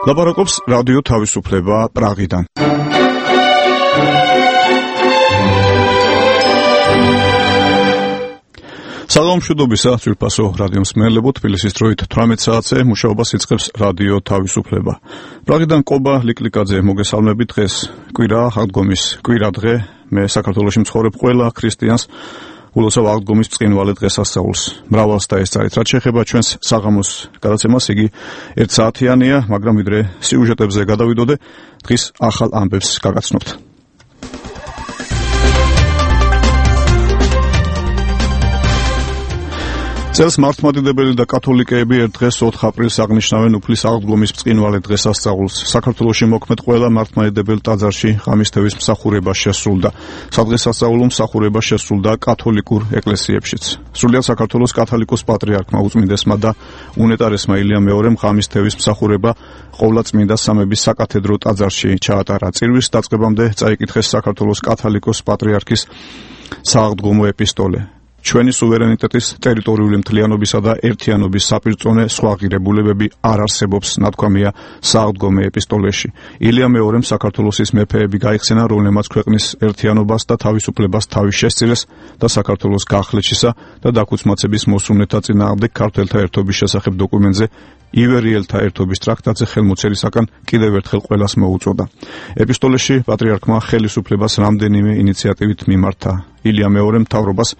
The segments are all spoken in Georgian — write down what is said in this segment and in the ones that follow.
ლაპარაკობს რადიო თავისუფლება პრაღიდან. საღამოშუდობისა ძვირფასო რადიო მსმენელებო, თბილისის დროით 18 საათზე მუშაობას იწყებს რადიო თავისუფლება. პრაღიდან კობა ლიკლიკაძე მოგესალმებით. დღეს კვირა, აღდგომის კვირა დღე. მე საქართველოში მცხოვრებ ყველა ქრისტიანს ულოცავ აღდგომის ბრწყინვალე დღესასწაულს. მრავალს დაესწარით. რაც შეეხება ჩვენს საღამოს გადაცემას, იგი 1 საათიანია, მაგრამ ვიდრე სიუჟეტებზე გადავიდოდე, დღის ახალ ამბებს გაგაცნობთ. წელს მართლმადიდებელი და კათოლიკეები ერთ დღეს 4 აპრილს აღნიშნავენ უფლის აღდგომის ბრწყინვალე დღესასწაულს. საქართველოში მოქმედ ყველა მართლმადიდებელ ტაძარში ღამისთევის მსახურება შესრულდა. სადღესასწაულო მსახურება შესრულდა კათოლიკურ ეკლესიებშიც. სრულიად საქართველოს კათოლიკოს პატრიარქმა უწმინდესმა და უნეტარესმა ილია მეორემ ღამისთევის მსახურება ყოვლადწმინდა სამების საკათედრო ტაძარში ჩაატარა. წირვის დაწყებამდე წაიკითხეს საქართველოს კათოლიკოს პატრიარქის სააღდგომო ეპისტოლე. ჩვენი სუვერენიტეტის, ტერიტორიული მთლიანობისა და ერთიანობის საპირწონე სხვა ღირებულებები არ არსებობს, ნათქვამია სააღდგომო ეპისტოლეში. ილია მეორემ საქართველოსის მეფეები გაიხსენა, რომლებმაც ქვეყნის ერთიანობას და თავისუფლებას თავი შესწირეს და საქართველოს გახლეჩისა და დაქუცმაცების მოსურნეთა წინააღმდეგ ქართველთა ერთობის შესახებ დოკუმენტზე ივერიელთა ერთობის ტრაქტატზე ხელმოწერისაგან კიდევ ერთხელ ყველას მოუწოდა. ეპისტოლეში პატრიარქმა ხელისუფლებას რამდენიმე ინიციატივით მიმართა. ილია მეორემ მთავრობას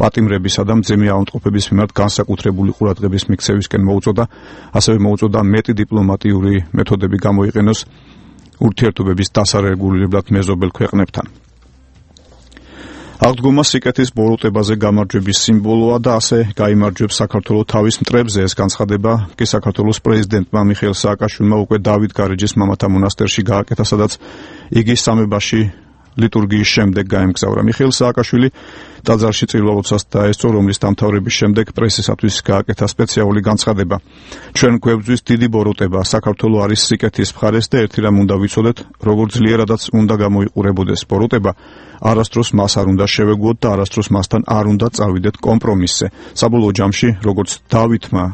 პატიმრებისა და მძიმე ავადმყოფების მიმართ განსაკუთრებული ყურადღების მიქცევისკენ მოუწოდა, ასევე მოუწოდა მეტი დიპლომატიური მეთოდები გამოიყენოს ურთიერთობების დასარეგულირებლად მეზობელ ქვეყნებთან. აღდგომა სიკეთის ბოროტებაზე გამარჯვების სიმბოლოა და ასე გაიმარჯვებს საქართველო თავის მტრებზე. ეს განცხადება კი საქართველოს პრეზიდენტმა მიხეილ სააკაშვილმა უკვე დავით გარეჯის მამათა მონასტერში გააკეთა, სადაც იგი სამებაში ლიტურგიის შემდეგ გაემგზავრა. მიხეილ სააკაშვილი ტაძარში წირვა-ლოცვას დაესწრო, რომლის დამთავრების შემდეგ პრესისათვის გააკეთა სპეციალური განცხადება. ჩვენ გვებძვის დიდი ბოროტება, საქართველო არის სიკეთის მხარეს და ერთი რამ უნდა ვიცოდეთ, როგორ ძლიერადაც უნდა გამოიყურებოდეს ბოროტება, არასდროს მას არ უნდა შევეგუოთ და არასდროს მასთან არ უნდა წავიდეთ კომპრომისზე. საბოლოო ჯამში, როგორც დავითმა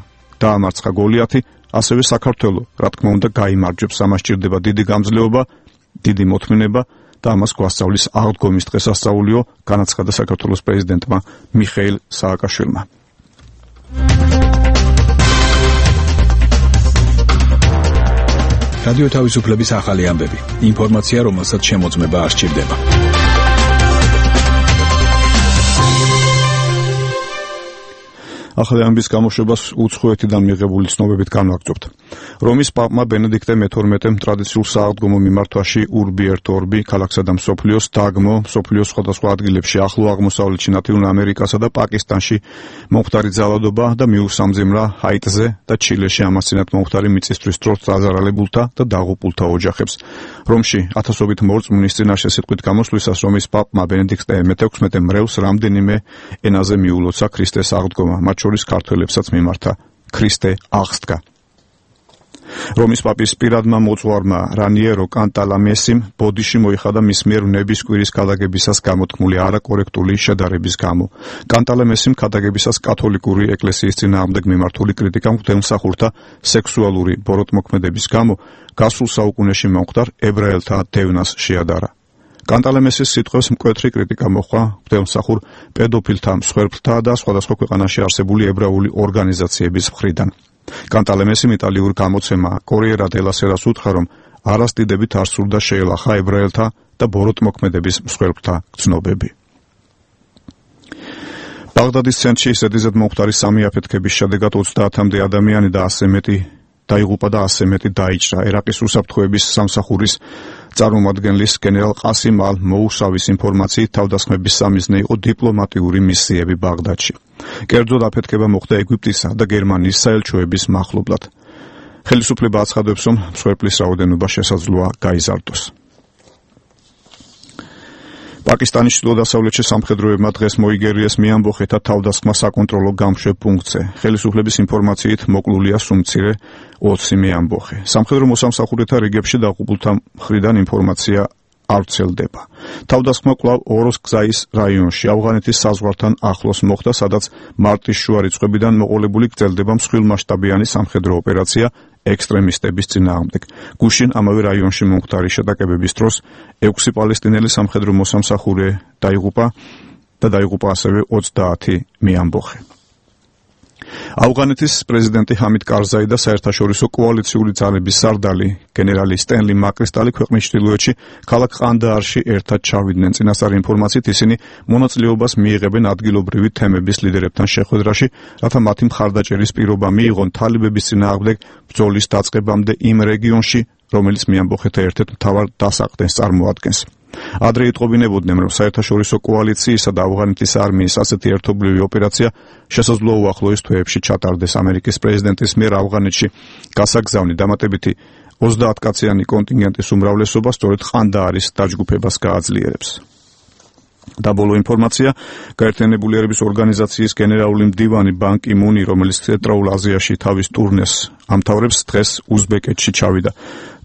დაამარცხა გოლიათი, ასევე საქართველო, რა თქმა უნდა, გაიმარჯვებს. ამას სჭირდება დიდი გამძლეობა, დიდი მოთმინება და ამას გვასწავლის აღდგომის დღესასწაულიო, განაცხადა საქართველოს პრეზიდენტმა მიხეილ სააკაშვილმა. რადიო თავისუფლების ახალი ამბები. ინფორმაცია, რომელსაც შემოწმება არ სჭირდება. ახალი ამბის გამოშვებას უცხოეთიდან მიღებული ცნობებით განვაგრძობთ. რომის პაპმა ბენედიქტე მე-12-მ ტრადიციულ სააღდგომო მიმართვაში Urbi et Orbi ქალაქსა და მსოფლიოს დაგმო, მსოფლიოს სხვადასხვა ადგილებში, ახლო აღმოსავლეთში, ლათინურ ამერიკასა და პაკისტანში მომხდარი ძალადობა და მიუსამძიმრა ჰაიტზე და ჩილეში ამასწინათ მომხდარი მიწისთვის დროც დაზარალებულთა და დაღუპულთა ოჯახებს. რომში ათასობით მორწმუნის წინაშე სიტყვით გამოსვლისას რომის პაპმა ბენედიქტე მე-16 მრევლს რამდენიმე ენაზე მიულოცა ქრისტეს აღდგომა, მათ შორის ქართველებსაც მიმართა. ქრისტე აღსდგა. რომის პაპის პირადმა მოწვარმა რანიერო კანტალამესიმ ბოდიში მოიხადა მის მიერ ნების კვირის ქადაგებისას გამოთქმული არაკორექტული შედარების გამო. კანტალამესიმ ქადაგებისას კათოლიკური ეკლესიის წინააღმდეგ მიმართული კრიტიკა მღვდელმსახურთა სექსუალური ბოროტმოქმედების გამო გასულ საუკუნეში მომხდარ ებრაელთა დევნას შეადარა. კანტალამესის სიტყვებს მკვეთრი კრიტიკა მოჰყვა მღვდელმსახურ პედოფილთა, მსხვერპლთა და სხვადასხვა ქვეყანაში არსებული ებრაული ორგანიზაციების მხრიდან. კანტალამესიმ იტალიურ გამოცემა კორიერა დელა სერას უთხრა, რომ არასტიდებით არ სურდა შეელახა ებრაელთა და ბოროტმოქმედების მსხვერპლთა გრძნობები. ბაღდადის ცენტრში ზედიზედ მომხდარი სამი აფეთქების შედეგად 30-მდე ადამიანი და 100 მეტი დაიღუპა და 100 მეტი დაიჭრა. ერაყის უსაფრთხოების სამსახურის წარმომადგენლის გენერალ ყასიმ ალ-მოუსავის ინფორმაციით თავდასხმების სამიზნე იყო დიპლომატიური მისიები ბაღდადში. კერძოდ აფეთქება მოხდა ეგვიპტისა და გერმანიის საელჩოების მახლობლად. ხელისუფლება აცხადებს, რომ მსხვერპლის რაოდენობა შესაძლოა გაიზარდოს. პაკისტანის ჩრდილო-დასავლეთში სამხედროებმა დღეს მოიგერიეს მეამბოხეთა თავდასხმა საკონტროლო გამშვებ პუნქტზე. ხელისუფლების ინფორმაციით მოკლულია სუმცირე 20 მეამბოხე. სამხედრო მოსამსახურეთა რიგებში დაღუპულთა მხრიდან ინფორმაცია არ ვრცელდება. თავდასხმა კვლავ ოროსკზაის რაიონში, ავღანეთის საზღვართან ახლოს მოხდა, სადაც მარტის შუა რიცხვებიდან მოყოლებული გრძელდება მსხვილმასშტაბიანი სამხედრო ოპერაცია ექსტრემისტების წინააღმდეგ. გუშინ ამავე რაიონში მომხდარი შეტაკებების დროს 6 პალესტინელი სამხედრო მოსამსახურე დაიღუპა ასევე 30 მეამბოხე. ავღანეთის პრეზიდენტი ჰამიდ კარზაი და საერთაშორისო კოალიციური ძალების სარდალი გენერალი სტენლი მაკრისტალი ქვეყნის ჩრდილოეთში ქალაქ ყანდაარში ერთად ჩავიდნენ. წინასწარი ინფორმაციით ისინი მონაწილეობას მიიღებენ ადგილობრივი თემების ლიდერებთან შეხვედრაში, რათა მათი მხარდაჭერის პირობა მიიღონ თალიბების წინააღმდეგ ბრძოლის დაწყებამდე იმ რეგიონში, რომელიც მეამბოხეთა ერთ-ერთ მთავარ დასაყრდენს წარმოადგენს. ადრე იტყობინებოდნენ, რომ საერთაშორისო კოალიციისა და ავღანეთის არმიის ასეთი ერთობლივი ოპერაცია შესაძლოა უახლოეს თვეებში ჩატარდეს. ამერიკის პრეზიდენტის მიერ ავღანეთში გასაგზავნი დამატებითი 30 კაციანი კონტინგენტის უმრავლესობა სწორედ ყანდაარის დაჯგუფებას გააძლიერებს. და ბოლო ინფორმაცია, გაერთიანებული ერების ორგანიზაციის გენერალური მდივანი ბან კი მუნი, რომელიც ცენტრალურ აზიაში თავის ტურნეს ამთავრებს, დღეს უზბეკეთში ჩავიდა.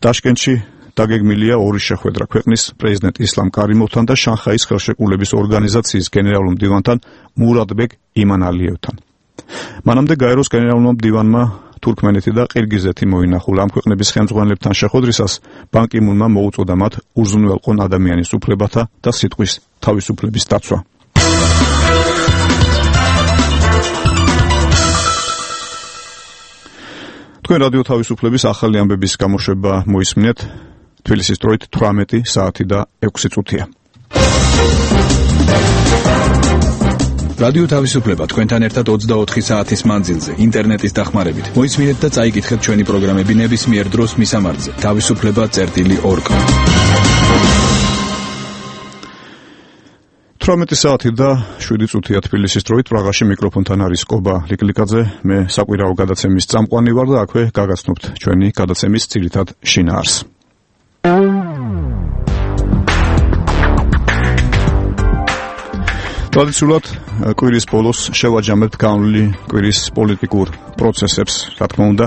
ტაშკენტში დაგეგმილია ორი შეხვედრა ქვეყნის პრეზიდენტ ისლამ კარიმოვთან და შანხაის ხელშეკრულების ორგანიზაციის გენერალურ მდივანთან მურადბეგ იმანალიევთან. მანამდე გაეროს გენერალურმა მდივანმა თურქმენეთი და ყირგიზეთი მოინახულა. ამ ქვეყნების ხელმძღვანელებთან შეხვედრისას ბან კი მუნმა მოუწოდა მათ უზრუნველყონ ადამიანის უფლებათა და სიტყვის თავისუფლების დაცვა. თქვენ რადიო თავისუფლების ახალი ამბების გამოშვება მოისმინეთ. თბილისის დროით 18 საათი და 6 წუთია. რადიო თავისუფლება თქვენთან ერთად 24 საათის მანძილზე ინტერნეტის დახმარებით. მოისმინეთ და წაიკითხეთ ჩვენი პროგრამები ნებისმიერ დროს მისამართზე თავისუფლება.org. 18 საათი და 7 წუთია თბილისის დროით. პრაღაში მიკროფონთან არის კობა ლიკლიკაძე. მე საკვირაო გადაცემის წამყვანი ვარ და აქვე გაგაცნობთ ჩვენი გადაცემის ძირითად შინაარსს. ტრადიციულად კვირის ბოლოს შევაჯამებთ განვლილი კვირის პოლიტიკურ პროცესებს. რა თქმა უნდა,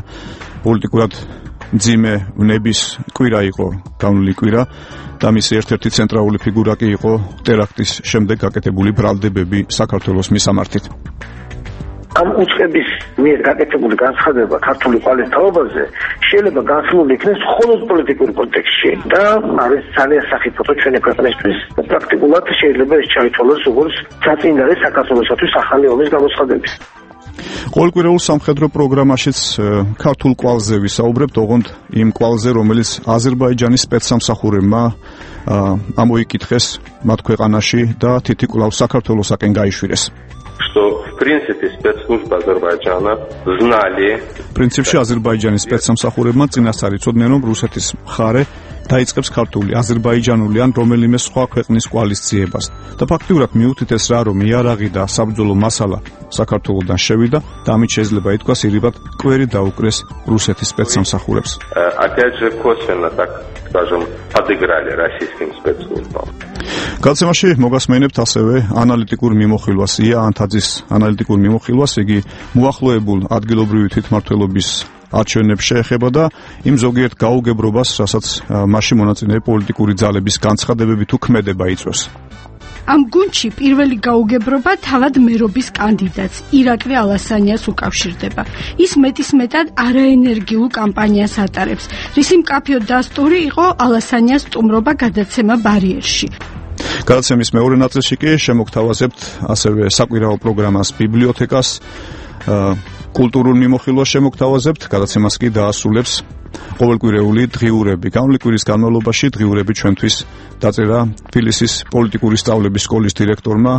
პოლიტიკურად მძიმე ვნების კვირა იყო განვლილი კვირა და მისი ერთ-ერთი ცენტრალური ფიგურა კი იყო ტერაქტის შემდეგ გაკეთებული ბრალდებები საქართველოს მისამართით. ამ უწყების მიერ გაკეთებული განცხადება ქართული ყალის თაობაზე შეიძლება განსხვავებული იქნეს მხოლოდ პოლიტიკურ კონტექსტში და არის ძალიან სახიფათო ჩვენი ქვეყნისთვის. პრაქტიკულად შეიძლება ეს ჩაითვალოს როგორც წაწინდარი საქართველოსათვის ახალი ომის გამოცხადების. ყოველკვირეულ სამხედრო პროგრამაშიც ქართულ კვალზე ვისაუბრებთ, ოღონდ იმ კვალზე, რომელიც აზერბაიჯანის სპეცსამსახურებმა ამოიკითხეს მათ ქვეყანაში და თითქმის საქართველოსაკენ გაიშვირეს. Что в принципе спецслужбы Азербайджана знали. Принципში აზერბაიჯანის სპეცსამსახურებმა წინასწარ იცოდნენ, რომ რუსეთის მხარე დაიწყებს ქართული, აზერბაიჯანული ან რომელიმე სხვა ქვეყნის კვალის ძიებას. და ფაქტიურად მიუთითეს რა, რომ იარაღი და საბრძოლო მასალა საქართველოდან შევიდა და ამით შეიძლება ითქვას ირიბად კვერი დაუკრეს რუსეთის სპეცსამსახურებს. Опять же косвенно, так скажем, подыграли российским спецслужбам. გადაცემაში მოგასმენებთ ასევე ანალიტიკურ მიმოხილვას, ია ანთაძის ანალიტიკურ მიმოხილვას, იგი მოახლოებულ ადგილობრივი თვითმმართველობის არჩევნებს შეეხება და იმ ზოგიერთ გაუგებრობას, რასაც მასში მონაწილე პოლიტიკური ძალების განცხადებებით თუ ქმედება იწვევს. ამ გუნდში პირველი გაუგებრობა თავად მერობის კანდიდატს ირაკლი ალასანიას უკავშირდება. ის მეტისმეტად არაენერგიულ კამპანიას ატარებს, რისი მკაფიო დასტური იყო ალასანიას სტუმრობა გადაცემა ბარიერში. გადაცემის მეორე ნაწილში კი შემოგთავაზებთ ასევე საკვირაო პროგრამას ბიბლიოთეკას, კულტურულ მიმოხილვას შემოგთავაზებთ, გადაცემას კი დაასრულებს ყოველკვირეული დღიურები. განვლილი კვირის განმავლობაში დღიურები ჩვენთვის დაწერა თბილისის პოლიტიკური სწავლების სკოლის დირექტორმა,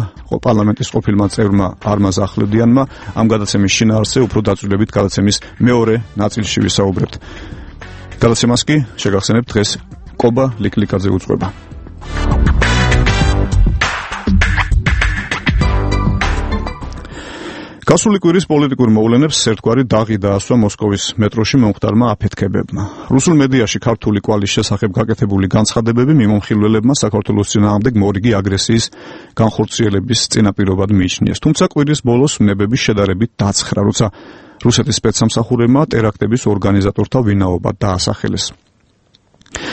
პარლამენტის ყოფილმა წევრმა არმაზ ახვლედიანმა. ამ გადაცემის შინაარსზე უფრო დაწვრილებით გადაცემის მეორე ნაწილში ვისაუბრებთ. გადაცემას კი შეგახსენებთ დღეს კობა ლიკლიკაძე უძღვება. გასული კვირის პოლიტიკურ მოვლენებს ერთგვარი დაღი დაასვა მოსკოვის მეტროში მომხდარმა აფეთქებებმა. რუსულ მედიაში ქართული კვალის შესახებ გაკეთებული განცხადებები მიმომხილველებმა საქართველოს წინააღმდეგ მორიგი აგრესიის განხორციელების წინაპირობად მიიჩნიეს. თუმცა კვირის ბოლოს ვნებები შედარებით დაცხრა, როცა რუსეთის სპეცსამსახურებმა ტერაქტების ორგანიზატორთა ვინაობა დაასახელეს.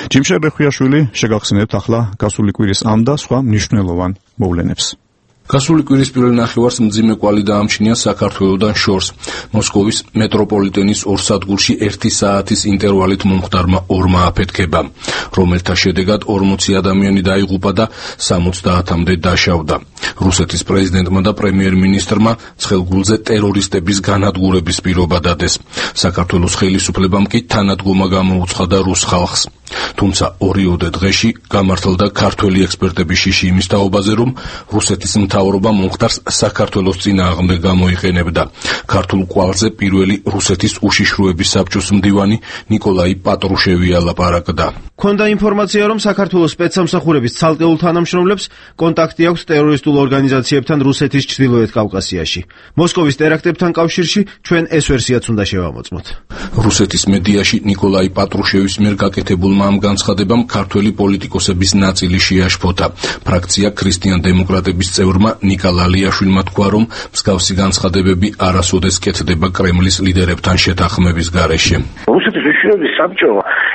ჯიმშერ რეხუიაშვილი შეგახსენებთ ახლა გასული კვირის ამ და სხვა მნიშვნელოვან მოვლენებს. გასული კვირის პირველ ნახევარს მძიმე კვალი დაამჩნია საქართველოდან შორს. მოსკოვის მეტროპოლიტენის ორ სადგურში 1 საათის ინტერვალით მომხდარმა ორმა აფეთქებამ, რომელთა შედეგად 40 ადამიანი დაიღუპა და 70-მდე დაშავდა. რუსეთის პრეზიდენტმა და პრემიერ-მინისტრმა ცხელგულზე ტერორისტების განადგურების პირობა დადეს. საქართველოს ხელისუფლებამ კი თანადგომა გამოუცხადა რუს ხალხს. თუმცა ორიოდე დღეში გამართლდა ქართველი ექსპერტების შიში იმის თაობაზე, რომ რუსეთის მთავრობა მომხდარს საქართველოს წინააღმდეგ გამოიყენებდა. ქართულ კვალზე პირველი რუსეთის უშიშროების საბჭოს მდივანი ნიკოლაი პატრუშევი ალაპარაკდა. ქონდა ინფორმაცია, რომ საქართველოს სპეცსამსახურების ცალკეულ თანამშრომლებს კონტაქტი აქვს ტერორისტულ ორგანიზაციებთან რუსეთის ჩრდილოეთ კავკასიაში. მოსკოვის ტერაქტებთან კავშირში ჩვენ ეს ვერსიაც უნდა შევამოწმოთ. რუსეთის მედიაში ნიკოლაი პატრუშევის მიერ გაკეთებულმა ამ განცხადებამ ქართველი პოლიტიკოსების ნაწილი შეაშფოთა. ფრაქცია ქრისტიან-დემოკრატების წევრმა ნიკა ლალიაშვილმა თქვა, რომ მსგავსი განცხადებები არასოდეს კეთდება კრემლის ლიდერებთან შეთანხმების გარეშე. რუსეთის უშიშროების საბჭო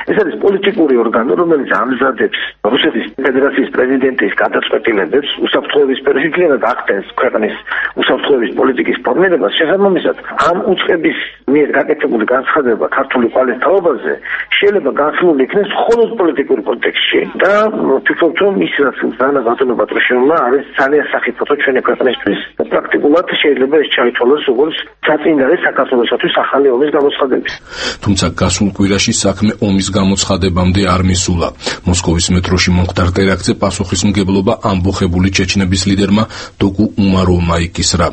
ეს არის პოლიტიკური ორგანო, რომელიც ამზადებს რუსეთის ფედერაციის პრეზიდენტის გადაწყვეტილებებს უსაფრთხოების სფეროში და ახდენს ქვეყნის უსაფრთხოების პოლიტიკის ფორმირებას. შესაბამისად, ამ უწყების მიერ გაკეთებული განცხადება ქართული კვალის თაობაზე შეიძლება განხილული იქნეს მხოლოდ პოლიტიკურ კონტექსტში და ვფიქრობ, რომ ის რაც დანა ბატონო პატრუშევმა არის ძალიან სახიფათო ჩვენი ქვეყნისთვის. პრაქტიკულად შეიძლება ეს ჩაითვალოს როგორც საწინააღმდეგო საქართველოსთვის ახალი ომის გამოცხადების. თუმცა გასულ კვირაში საქმე ომის გამოცხადებამდე არ მისულა. მოსკოვის მეტროში მომხდარ ტერაქტზე პასუხისმგებლობა ამბოხებული ჩეჩნების ლიდერმა დოკუ უმაროვმა იკისრა.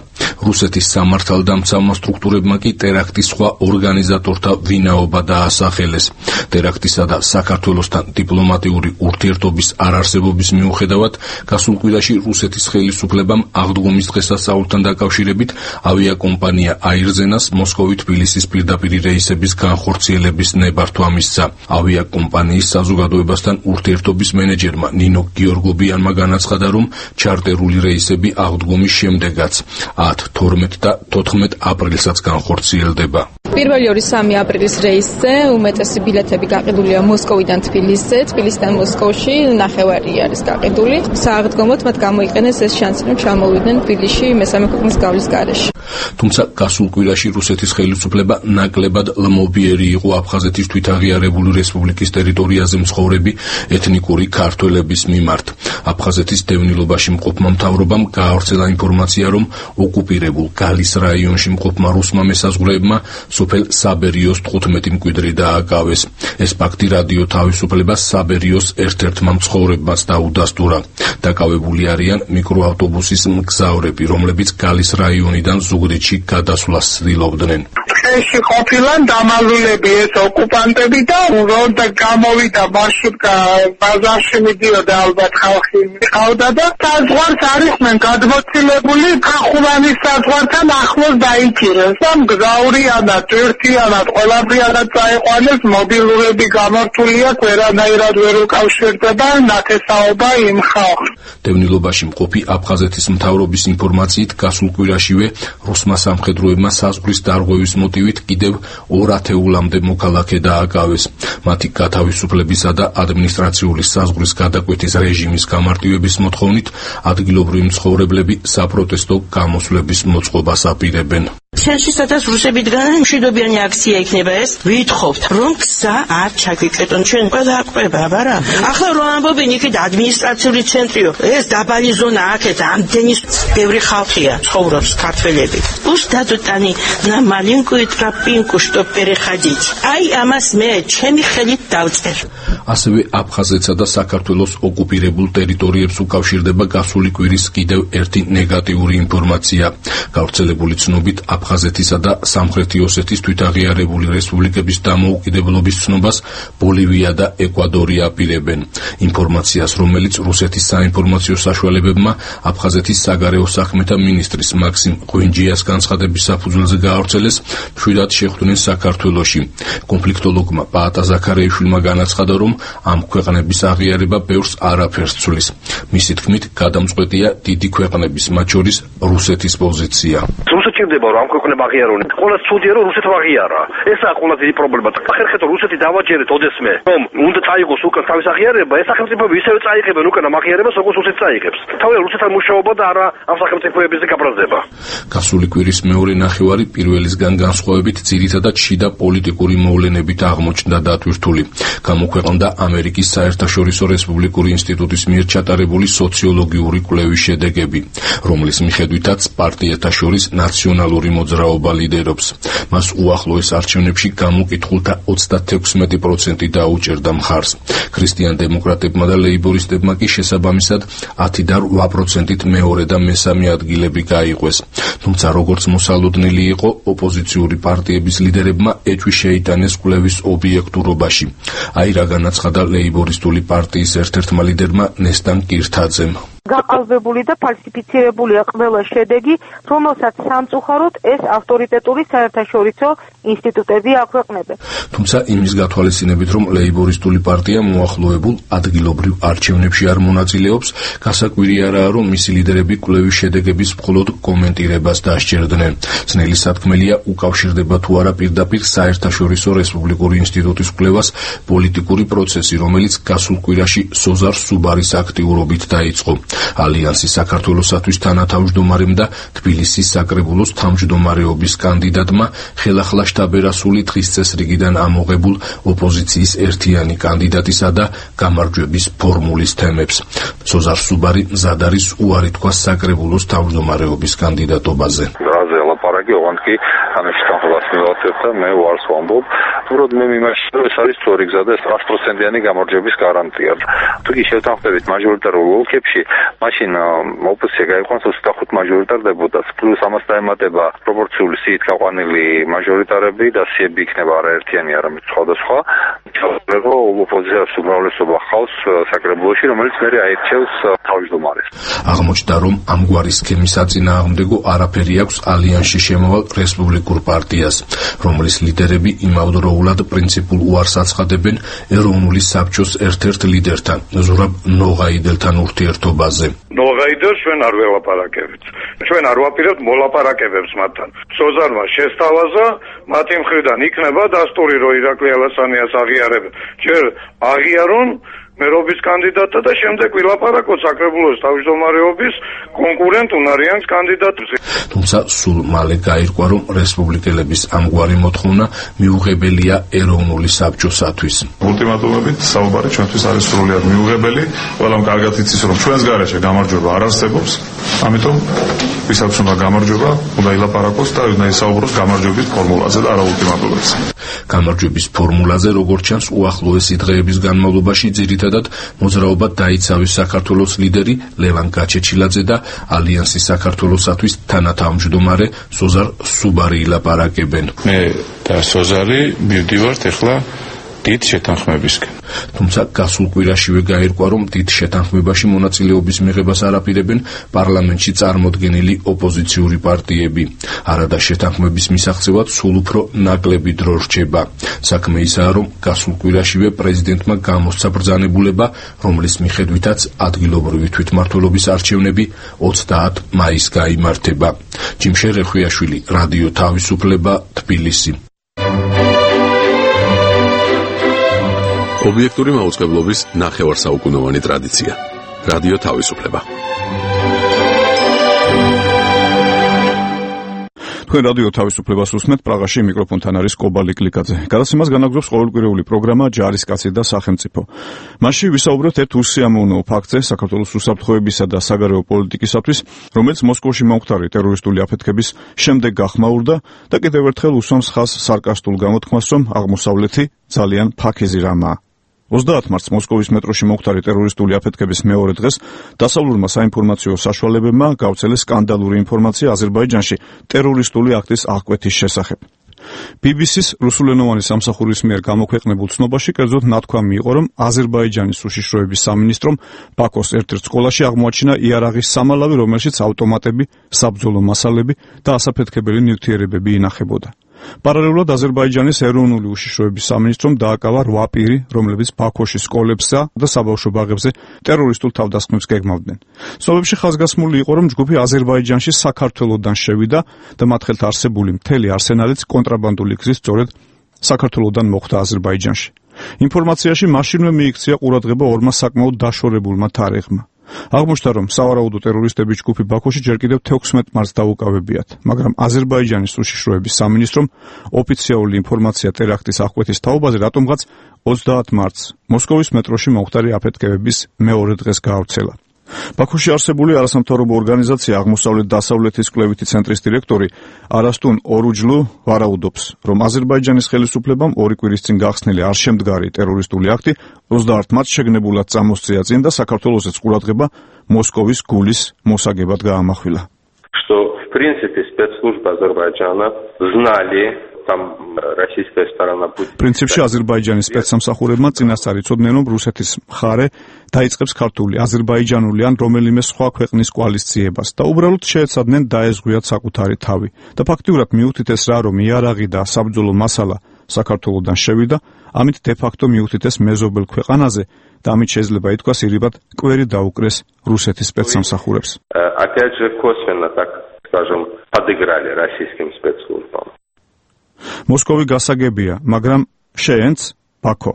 რუსეთის სამართალდამცავმა სტრუქტურებმა კი ტერაქტის სხვა ორგანიზატორთა ვინაობა დაასახელეს. ტერაქტისა და საქართველოსთან დიპლომატიური ურთიერთობის არარსებობის მიუხედავად, გასულ კვირაში რუსეთის ხელისუფლებამ აღდგომის დღესასწაულთან დაკავშირებით ავიაკომპანია აირზენას მოსკოვი-თბილისის პირდაპირი რეისების განხორციელების ნებართვა მისცა. ავიაკომპანიის საზოგადოებასთან ურთიერთობის მენეჯერმა ნინო გიორგობიანმა განაცხადა, რომ ჩარტერული რეისები აღდგომის შემდეგაც 10, 12 და 14 აპრილსაც განხორციელდება. პირველი 2-3 აპრილის რეისზე უმეტესი ბილეთები გაყიდულია მოსკოვიდან თბილისზე, თბილისიდან მოსკოვში ნახევარი არის გაყიდული. სააღდგომოდ მათ გამოიყენეს ეს შანსი, რომ ჩამოვიდნენ თბილისში მესამე ქვეყნის გავლის გარეშე. თუმცა გასულ კვირაში რუსეთის ხელისუფლება ნაკლებად ლმობიერი იყო აფხაზეთის თვითაღიარებული რესპუბლიკის ტერიტორიაზე მცხოვრები ეთნიკური ქართველების მიმართ. აფხაზეთის დევნილობაში მყოფმა მთავრობამ გაავრცელა ინფორმაცია, რომ ოკუპირებულ გალის რაიონში მყოფმა რუსმა მესაზღვრეებმა სოფელ საბერიოს 15 მკვიდრი დააკავეს. ეს ფაქტი რადიო თავისუფლებას საბერიოს ერთ-ერთმა მცხოვრებმაც დაუდასტურა. დაკავებული არიან მიკროავტობუსის მგზავრები, რომლებიც გალის რაიონიდან ზუგდიდში გადასვლას ცდილობდნენ. ეს ყოფილან დამალულები ეს ოკუპანტები და რომ გამოვიდა მარშრუტკა ბაზარში მიდიოდა ალბათ ხალხი მიყავდა და საზღვარს არისმენ გადმოცილებული ხახუვანის საზღვართან ახლოს დაიჭირეს და მგზავრიანად ერთიანად ყველაფრიანად წაიყვანეს მობილურები გამართულია ვერანაირად ვერ უკავშირდება ნათესაობა იმ ხალხს. დევნილობაში მყოფი აფხაზეთის მთავრობის ინფორმაციით გასულ კვირაშივე რუსმა სამხედროებმა საზღვრის დარღვევის მოტივით კიდევ 2 ათეულამდე მოქალაქე დააკავეს. მათი გათავისუფლებისა და ადმინისტრაციული საზღვრის გადაკვეთის რეჟიმის გამარტივების მოთხოვნით ადგილობრივი მცხოვრებლები საპროტესტო გამოსვლების მოწყობას აპირებენ. ჩვენში სადაც რუსებიდან მშვიდობიანი აქცია იქნება ეს, ვითხოვთ, რომ გზა არ ჩაგვიკეტონ, ჩვენ ყველა აკვება, არა? ახლა რომ ამბობენ იქით ადმინისტრაციული ცენტრიო, ეს დაბალი ზონა აქეთ ამდენი ბევრი ხალხია, ცხოვრობს ქართველები. Пусть дадут они на маленькую тропинку, чтоб переходить. Ай, ამას მე ჩემი ხელით დავწერ. ასევე აფხაზეთსა და საქართველოს ოკუპირებულ ტერიტორიებს უკავშირდება გასული კვირის კიდევ ერთი ნეგატიური ინფორმაცია. გავრცელებული ცნობით აფხაზეთისა და სამხრეთი ოსეთის თვითაღიარებული რესპუბლიკების დამოუკიდებლობის ცნობას ბოლივია და ეკვადორი აპირებენ. ინფორმაციას, რომელიც რუსეთის საინფორმაციო საშუალებებმა აფხაზეთის საგარეო საქმეთა მინისტრის მაქსიმ ღვინჯიას განცხადების საფუძველზე გაავრცელეს, მშვიდად შეხვდნენ საქართველოში. კონფლიქტოლოგმა პაატა ზაქარეიშვილმა განაცხადა, რომ ამ ქვეყნების აღიარება ბევრს არაფერს ცვლის. მისი თქმით, გადამწყვეტია დიდი ქვეყნების, მათ შორის რუსეთის პოზიცია. რუსეთში რომ ამ ქვეყნებმა აღიარონ. ყველა ცუდია რომ რუსეთმა აღიარა. ესაა ყველა დიდი პრობლემა. ახერხეთ რომ რუსეთი დავაჯერეთ ოდესმე რომ უნდა წაიღოს უკან თავის აღიარება, ეს სახელმწიფოები ისევე წაიღებენ უკან ამ აღიარებას, როგორც რუსეთი წაიღებს. თავია რუსეთთან მუშაობა და არა ამ სახელმწიფოებზე გაბრაზდება. გასული კვირის მეორე ნახევარი პირველისგან განსხვავებით ძირითადად შიდა პოლიტიკური მოვლენებით აღმოჩნდა დატვირთული. გამოქვეყნდა ამერიკის საერთაშორისო რესპუბლიკური ინსტიტუტის მიერ ჩატარებული სოციოლოგიური კვლევის შედეგები, რომლის მიხედვითაც პარტიათა შორის ნაციონალური მოძრაობა ლიდერობს. მას უახლოეს არჩევნებში გამოკითხულთა 36% დაუჭერდა მხარს. ქრისტიან-დემოკრატებმა და ლეიბორისტებმა კი შესაბამისად 10 და 8%-ით მეორე და მესამე ადგილები გაიყვეს. თუმცა როგორც მოსალოდნელი იყო, ოპოზიციური პარტიების ლიდერებმა ეჭვი შეიტანეს კვლევის ობიექტურობაში. აი რა განაცხადა ლეიბორისტული პარტიის ერთ-ერთმა ლიდერმა ნესტან კირთაძემ. გაყალბებული და ფალსიფიცირებულია ყველა შედეგი, რომელსაც სამწუხაროდ ეს ავტორიტეტული საერთაშორისო ინსტიტუტები აქვეყნებენ. თუმცა იმის გათვალისწინებით, რომ ლეიბორისტული პარტია მოახლოებულ ადგილობრივ არჩევნებში არ მონაწილეობს, გასაკვირი არაა, რომ მისი ლიდერები კვლევის შედეგების მხოლოდ კომენტირებას დასჭერდნენ. ძნელი სათქმელია უკავშირდება თუ არა პირდაპირ საერთაშორისო რესპუბლიკური ინსტიტუტის კვლევას პოლიტიკური პროცესი, რომელიც გასულ კვირაში სოზარ სუბარის აქტიურობით დაიწყო. ალიანსის საქართველოსათვის თანათავმჯდომარემ და თბილისის საკრებულოს თავმჯდომარეობის კანდიდატმა ხელახლა შტაბ-ერასული დღის წესრიგიდან ამოღებულ ოპოზიციის ერთიანი კანდიდატისა და გამარჯვების ფორმულის თემებს. სოზარ სუბარი მზად არის უარი თქვას საკრებულოს თავმჯდომარეობის კანდიდატობაზე. ლაპარაკი ოღონდ კი ამაში თანხმობას მივაცებ და მე უარს ვამბობ. უბრალოდ მე მიმარჯვე რომ ეს არის სწორი გზა და 100%-იანი გამარჯვების გარანტია. თუ კი შევთანხმდებით მაჟორიტარულ ოლქებში, მაშინ ოპოზიცია გაიყვანს 25 მაჟორიტარდებოდას, პლუს ამას დაემატება პროპორციული სიით გაყვანილი მაჟორიტარები და სიები იქნება არაერთიანი, არამედ სხვადასხვა. ჩავწერო ოპოზიციას უმრავლესობა ხავს საკრებულოში, რომელიც მერე აირჩევს თავმჯდომარეს. აღმოჩნდა, რომ ამგვარი სქემის საწინააღმდეგო არაფერი აქვს ალიანსში შემოვალ რესპუბლიკურ პარტიას, რომლის ლიდერები იმავდროულად პრინციპულ უარს აცხადებენ ეროვნული საბჭოს ერთ-ერთ ლიდერთან, ზურაბ ნოღაიდელთან ურთიერთობაზე. ნოღაიდელს ჩვენ არ ველაპარაკებთ. ჩვენ არ ვაპირებთ მოლაპარაკებებს მათთან. სოზარმა შესთავაზა, მათი მხრიდან იქნება დასტური, რომ ირაკლი ალასანიას აღიარებენ. ჯერ აღიარონ მერობის კანდიდატთა და შემდეგ ვილაპარაკოთ საკრებულოს თავმჯდომარეობის კონკურენტ უნარიანს კანდიდატზე. თუმცა სულ მალე გაირკვა, რომ რესპუბლიკელების ამგვარი მოთხოვნა მიუღებელია ეროვნული საბჭოსათვის. ულტიმატუმებით საუბარი ჩვენთვის არის სრულიად მიუღებელი. ყველამ კარგად იცის, რომ ჩვენს გარეშე გამარჯვება არ არსებობს. ამიტომ ვისაც უნდა გამარჯვება, უნდა ილაპარაკოს და უნდა ისაუბროს გამარჯვების ფორმულაზე და არა ულტიმატუმებზე. გამარჯვების ფორმულაზე, როგორც ჩანს, უახლოესი დღეების განმავლობაში ძირითადად მოძრაობა დაიცავეს საქართველოს ლიდერი ლევან გაჩეჩილაძე და ალიანსის საქართველოსათვის თანათავმჯდომარე სოზარ სუბარი ილაპარაკებენ. მე და სოზარი მივდივართ ახლა დიდ შეთანხმებისკენ. თუმცა გასულ კვირაშივე გაირკვა, რომ დიდ შეთანხმებაში მონაწილეობის მიღებას არ აპირებენ პარლამენტში წარმოდგენილი ოპოზიციური პარტიები. არადა შეთანხმების მისაღწევად სულ უფრო ნაკლები დრო რჩება. საქმე ისაა, რომ გასულ კვირაშივე პრეზიდენტმა გამოსცა ბრძანებულება, რომლის მიხედვითაც ადგილობრივი თვითმმართველობის არჩევნები 30 მაისს გაიმართება. ჯიმშე რეხვიაშვილი, რადიო თავისუფლება, თბილისი. ობიექტური მაუწყებლობის ნახევარსაუკუნოვანი ტრადიცია. რადიო თავისუფლება. თქვენ რადიო თავისუფლებას უსმენთ, პრაღაში მიკროფონთან არის კობალი კლიკაძე. გადაცემას განაგრძობს ყოველკვირეული პროგრამა ჯარისკაცი და სახელმწიფო. მასში ვისაუბრებთ ერთ უსიამოვნო ფაქტზე საქართველოს უსაფრთხოებისა და საგარეო პოლიტიკისათვის, რომელიც მოსკოვში მომხდარი ტერორისტული აფეთქების შემდეგ გახმაურდა და კიდევ ერთხელ უსვამს ხაზს სარკასტულ გამოთქმას, რომ აღმოსავლეთი ძალიან ფაქიზი რამაა. 30 მარტს მოსკოვის მეტროში მომხდარი ტერორისტული აფეთქების მეორე დღეს დასავლურმა საინფორმაციო საშუალებებმა გავრცელეს სკანდალური ინფორმაცია აზერბაიჯანში ტერორისტული აქტის აღკვეთის შესახებ. BBC-ს რუსულენოვანი სამსახურის მიერ გამოქვეყნებულ ცნობაში კერძოდ ნათქვამი იყო, რომ აზერბაიჯანის უშიშროების სამინისტრომ ბაქოს ერთ-ერთ სკოლაში აღმოაჩინა იარაღის სამალავი, რომელშიც ავტომატები, საბრძოლო მასალები და ასაფეთქებელი ნივთიერებები ინახებოდა. პარალელურად აზერბაიჯანის ეროვნული უშიშროების სამინისტრომ დააკავა 8 პირი, რომლებიც ბაქოში სკოლებსა და საბავშვო ბაღებზე ტერორისტულ თავდასხმებს გეგმავდნენ. ცნობებში ხაზგასმული იყო, რომ ჯგუფი აზერბაიჯანში საქართველოდან შევიდა და მათ ხელთ არსებული მთელი არსენალიც კონტრაბანდული გზით სწორედ საქართველოდან მოხვდა აზერბაიჯანში. ინფორმაციაში მაშინვე მიიქცია ყურადღება ორმა საკმაოდ დაშორებულმა თარიღმა. აღმოჩნდა, რომ სავარაუდო ტერორისტების ჯგუფი ბაქოში ჯერ კიდევ 16 მარტს დაუკავებიათ, მაგრამ აზერბაიჯანის უშიშროების სამინისტრომ ოფიციალური ინფორმაცია ტერაქტის აღკვეთის თაობაზე რატომღაც 30 მარტს მოსკოვის მეტროში მომხდარი აფეთქებების მეორე დღეს გაავრცელა. ბაქოში არსებული არასამთავრობო ორგანიზაცია აღმოსავლეთ-დასავლეთის კვლევითი ცენტრის დირექტორი არასტუნ ორუჯლუ ვარაუდობს, რომ აზერბაიჯანის ხელისუფლებამ 2 კვირის წინ გახსნილი არ შემდგარი ტერორისტული აქტი 30 მარტს შეგნებულად წამოსწია წინ და საქართველოსაც ყურადღება მოსკოვის გულის მოსაგებად გაამახვილა. Что, в принципе, спецслужбы Азербайджана знали, там российская сторона будет... პრინციპში აზერბაიჯანის სპეცსამსახურებმა წინასწარ იცოდნენ, რომ რუსეთის მხარე დაიწყებს ქართული, აზერბაიჯანული ან რომელიმე სხვა ქვეყნის კოალიციებას და უბრალოდ შეეცადნენ დაეზღვიათ საკუთარი თავი. და ფაქტიურად მიუთითეს რა, რომ იარაღი და საბრძოლო მასალა საქართველოდან შევიდა, ამით დე-ფაქტო მიუთითეს მეზობელ ქვეყანაზე და ამით შეიძლება ითქვას ირიბად კვერი დაუკრეს რუსეთის სპეცსამსახურებს. Опять же, косвенно, так скажем, подыграли российским спецслужбам. მოსკოვი გასაგებია, მაგრამ შეენც ბაქო.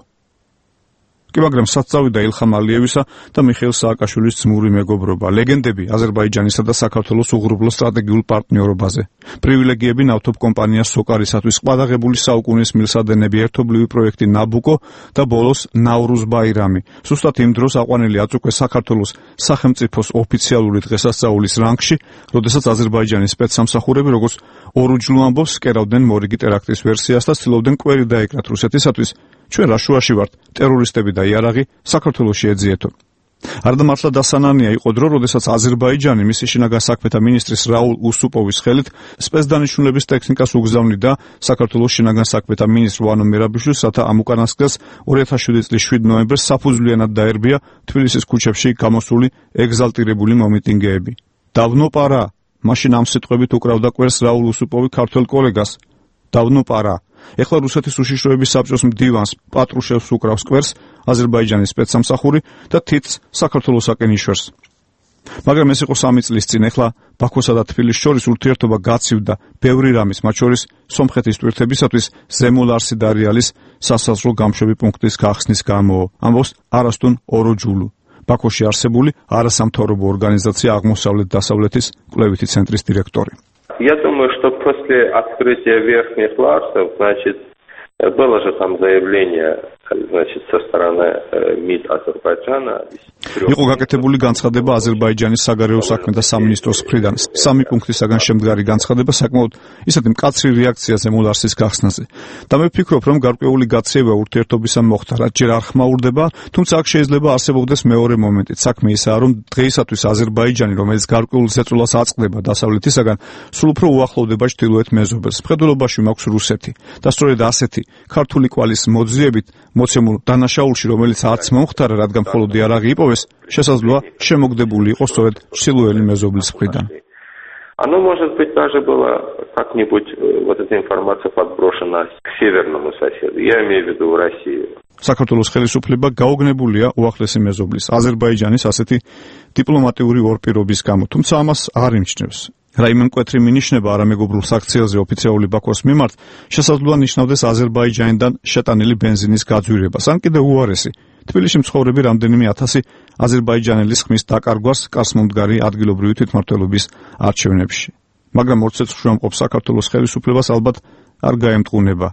კი, მაგრამ საწავიდა ილხამ ალიევისა და მიხეილ სააკაშვილის ძმური მეგობრობა, ლეგენდები აზერბაიჯანისა და საქართველოს უღრუბლო სტრატეგიულ პარტნიორობაზე, პრივილეგიები ნავთობ კომპანია სოკარისათვის, ყადაღებული საუკუნის მილსადენები, ერთობლივი პროექტი ნაბუკო და ბოლოს ნავრუზ ბაირამი. სუსტად იმ დროს აყვანილი აწუქეს საქართველოს სახელმწიფოს ოფიციალური დღესასწაულის რანგში, როდესაც აზერბაიჯანის სპეცსამსახურები, როგორც ორუჯლუ ამბობს, კერავდნენ მორიგი ტერაქტის ვერსიას და ცდილობდნენ კვერი დაეკრათ რუსეთისათვის. ჩვენ რა შუაში ვართ, ტერორისტები და იარაღი საქართველოში ეძიეთო. არდა მართლა დასანანია იყო დრო, როდესაც აზერბაიჯანი მისი შინაგან საქმეთა მინისტრის რაულ უსუპოვის ხელით სპეცდანიშნულების ტექნიკას უგზავნიდა საქართველოს შინაგან საქმეთა მინისტრ ვანო მერაბიშვილს, რათა ამ უკანასკნელს 2007 წლის 7 ნოემბერს საფუძვლიანად დაერბია თბილისის ქუჩებში გამოსული ეგზალტირებული მომიტინგეები. დავნო პარა, მაშინ ამ სიტყვებით უკრავდა კვერს რაულ უსუპოვი ქართველ კოლეგას. დავნო პარა. ეხლა რუსეთის უშიშროების საბჭოს მდივანს პატრუშევს უკრავს კვერს აზერბაიჯანის სპეცსამსახური და თითს საქართველოსაკენ იშვერს. მაგრამ ეს იყო 3 წლის წინ, ეხლა ბაქოსა და თბილისს შორის ურთიერთობა გაცივდა ბევრი რამის, მათ შორის სომხეთის ტვირთებისათვის ზემო ლარსი დარიალის სასაზღვრო გამშვები პუნქტის გახსნის გამო, ამბობს არასტუნ ოროჯულუ, ბაქოში არსებული არასამთავრობო ორგანიზაცია აღმოსავლეთ-დასავლეთის კვლევითი ცენტრის директоры. Я думаю, что после открытия верхних ларсов, значит, было же там заявление, значит, со стороны МИД Азербайджана. იყო გაკეთებული განცხადება აზერბაიჯანის საგარეო საქმეთა სამინისტროს მხრიდან. 3 პუნქტისაგან შემდგარი განცხადება საკმაოდ ისეთი მკაცრი რეაქციაზე მოლარსის გახსნაზე. და მე ვფიქრობ, რომ გარკვეული გაცევა ურთიერთობისა მოხდა, რაც ჯერ არ ხმაურდება, თუმცა აქ შეიძლება არსებობდეს მეორე მომენტიც. საქმე ისაა, რომ დღეისათვის აზერბაიჯანი, რომელიც გარკვეულ ზეწოლას აწყდება დასავლეთისაგან, სულ უფრო უახლოვდება ჩრდილოეთ მეზობელს. მხედველობაში მაქვს რუსეთი და სწორედ ასეთი ქართული კვალის მოძიებით მოცემულ დანაშაულში, რომელიც არც მომხდარა, რადგან მხოლოდ იარაღი იპოვეს, შესაძლოა შემოგდებული იყო სწორედ ჩრდილოელი მეზობლის მხრიდან. Оно, может быть, даже было как-нибудь, вот эта информация подброшена к северному соседу. Я имею в виду Россию. საქართველოს ხელისუფლება გაოგნებულია უახლესი მეზობლის აზერბაიჯანის ასეთი დიპლომატიური ორპირობის გამო, თუმცა ამას არ იმჩნევს. რაიმე მკვეთრი მინიშნება არამეგობრულ საქციელზე ოფიციალური ბაქოს მიმართ შესაძლოა ნიშნავდეს აზერბაიჯანიდან შეტანილი ბენზინის გაძვირებას, ან კიდევ უარესი, თბილისში მცხოვრები რამდენიმე ათასი აზერბაიჯანელის ხმის დაკარგვას კარსმომდგარი ადგილობრივი თვითმმართველობის არჩევნებში. მაგრამ ორცეცხლში ამყოფ საქართველოს ხელისუფლებას ალბათ არ გაემტყუნება.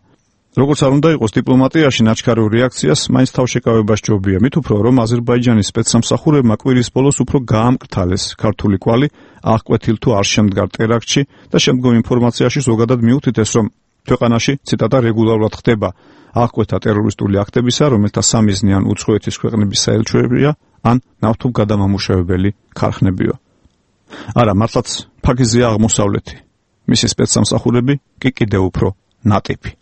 როგორც არ უნდა იყოს დიპლომატიაში ნაჩქარო რეაქციას მაინც თავშეკავება სჯობია, მით უფრო რომ აზერბაიჯანის სპეცსამსახურებმა კვირის ბოლოს უფრო გაამკრთალეს ქართული კვალი აღკვეთილ თუ არ შემდგარ ტერაქტში და შემდგომ ინფორმაციაში ზოგადად მიუთითეს, რომ ქვეყანაში ციტატა რეგულარულად ხდება აღკვეთა ტერორისტული აქტებისა, რომელთა სამიზნე ან უცხოეთის ქვეყნების საელჩოებია, ან ნავთობ გადამამუშავებელი ქარხნებიო. არა, მართლაც ფაქიზია აღმოსავლეთი. მისი სპეცსამსახურები კი კიდევ უფრო ნატიფი.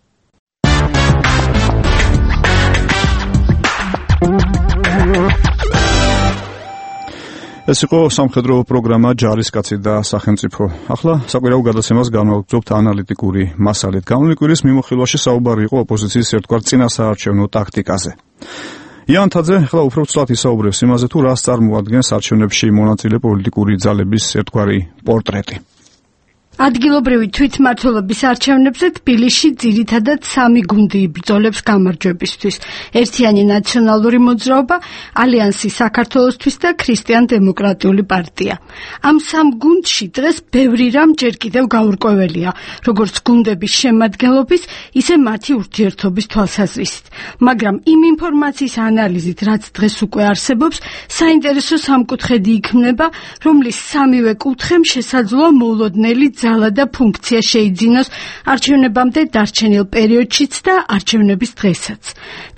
ეს იყო სამხედრო პროგრამა ჯარისკაცი და სახელმწიფო. ახლა საკვირაო გადაცემას განვაგრძობთ ანალიტიკური მასალით. გამოვლინი კვირის მიმოხილვაში საუბარი იყო ოპოზიციის ერთგვარ წინასაარჩევნო ტაქტიკაზე. იან თაძე ახლა უფრო ცუდად ისაუბრებს იმაზე, თუ რას წარმოადგენს არჩევნებში მონაწილე პოლიტიკური ძალების ერთგვარი პორტრეტი. ადგილობრივი თვითმმართველობის არჩევნებზე თბილისში ძირითადად 3 გუნდი იბრძოლებს გამარჯვებისთვის. ერთიანი ნაციონალური მოძრაობა, ალიანსი საქართველოსთვის და ქრისტიან-დემოკრატიული პარტია. ამ 3 გუნდში დღეს ბევრი რამ ჯერ კიდევ გაურკვეველია, როგორც გუნდების შემადგენლობის, ისე მათი ურთიერთობის თვალსაზრისით. მაგრამ იმ ინფორმაციის ანალიზით, რაც დღეს უკვე არსებობს, საინტერესო სამკუთხედი იქმნება, რომლის 3-ვე კუთხემ შესაძლოა მოულოდნელი ძალა და ფუნქცია შეიძინოს არჩევნებამდე დარჩენილ პერიოდშიც და არჩევნების დღესაც.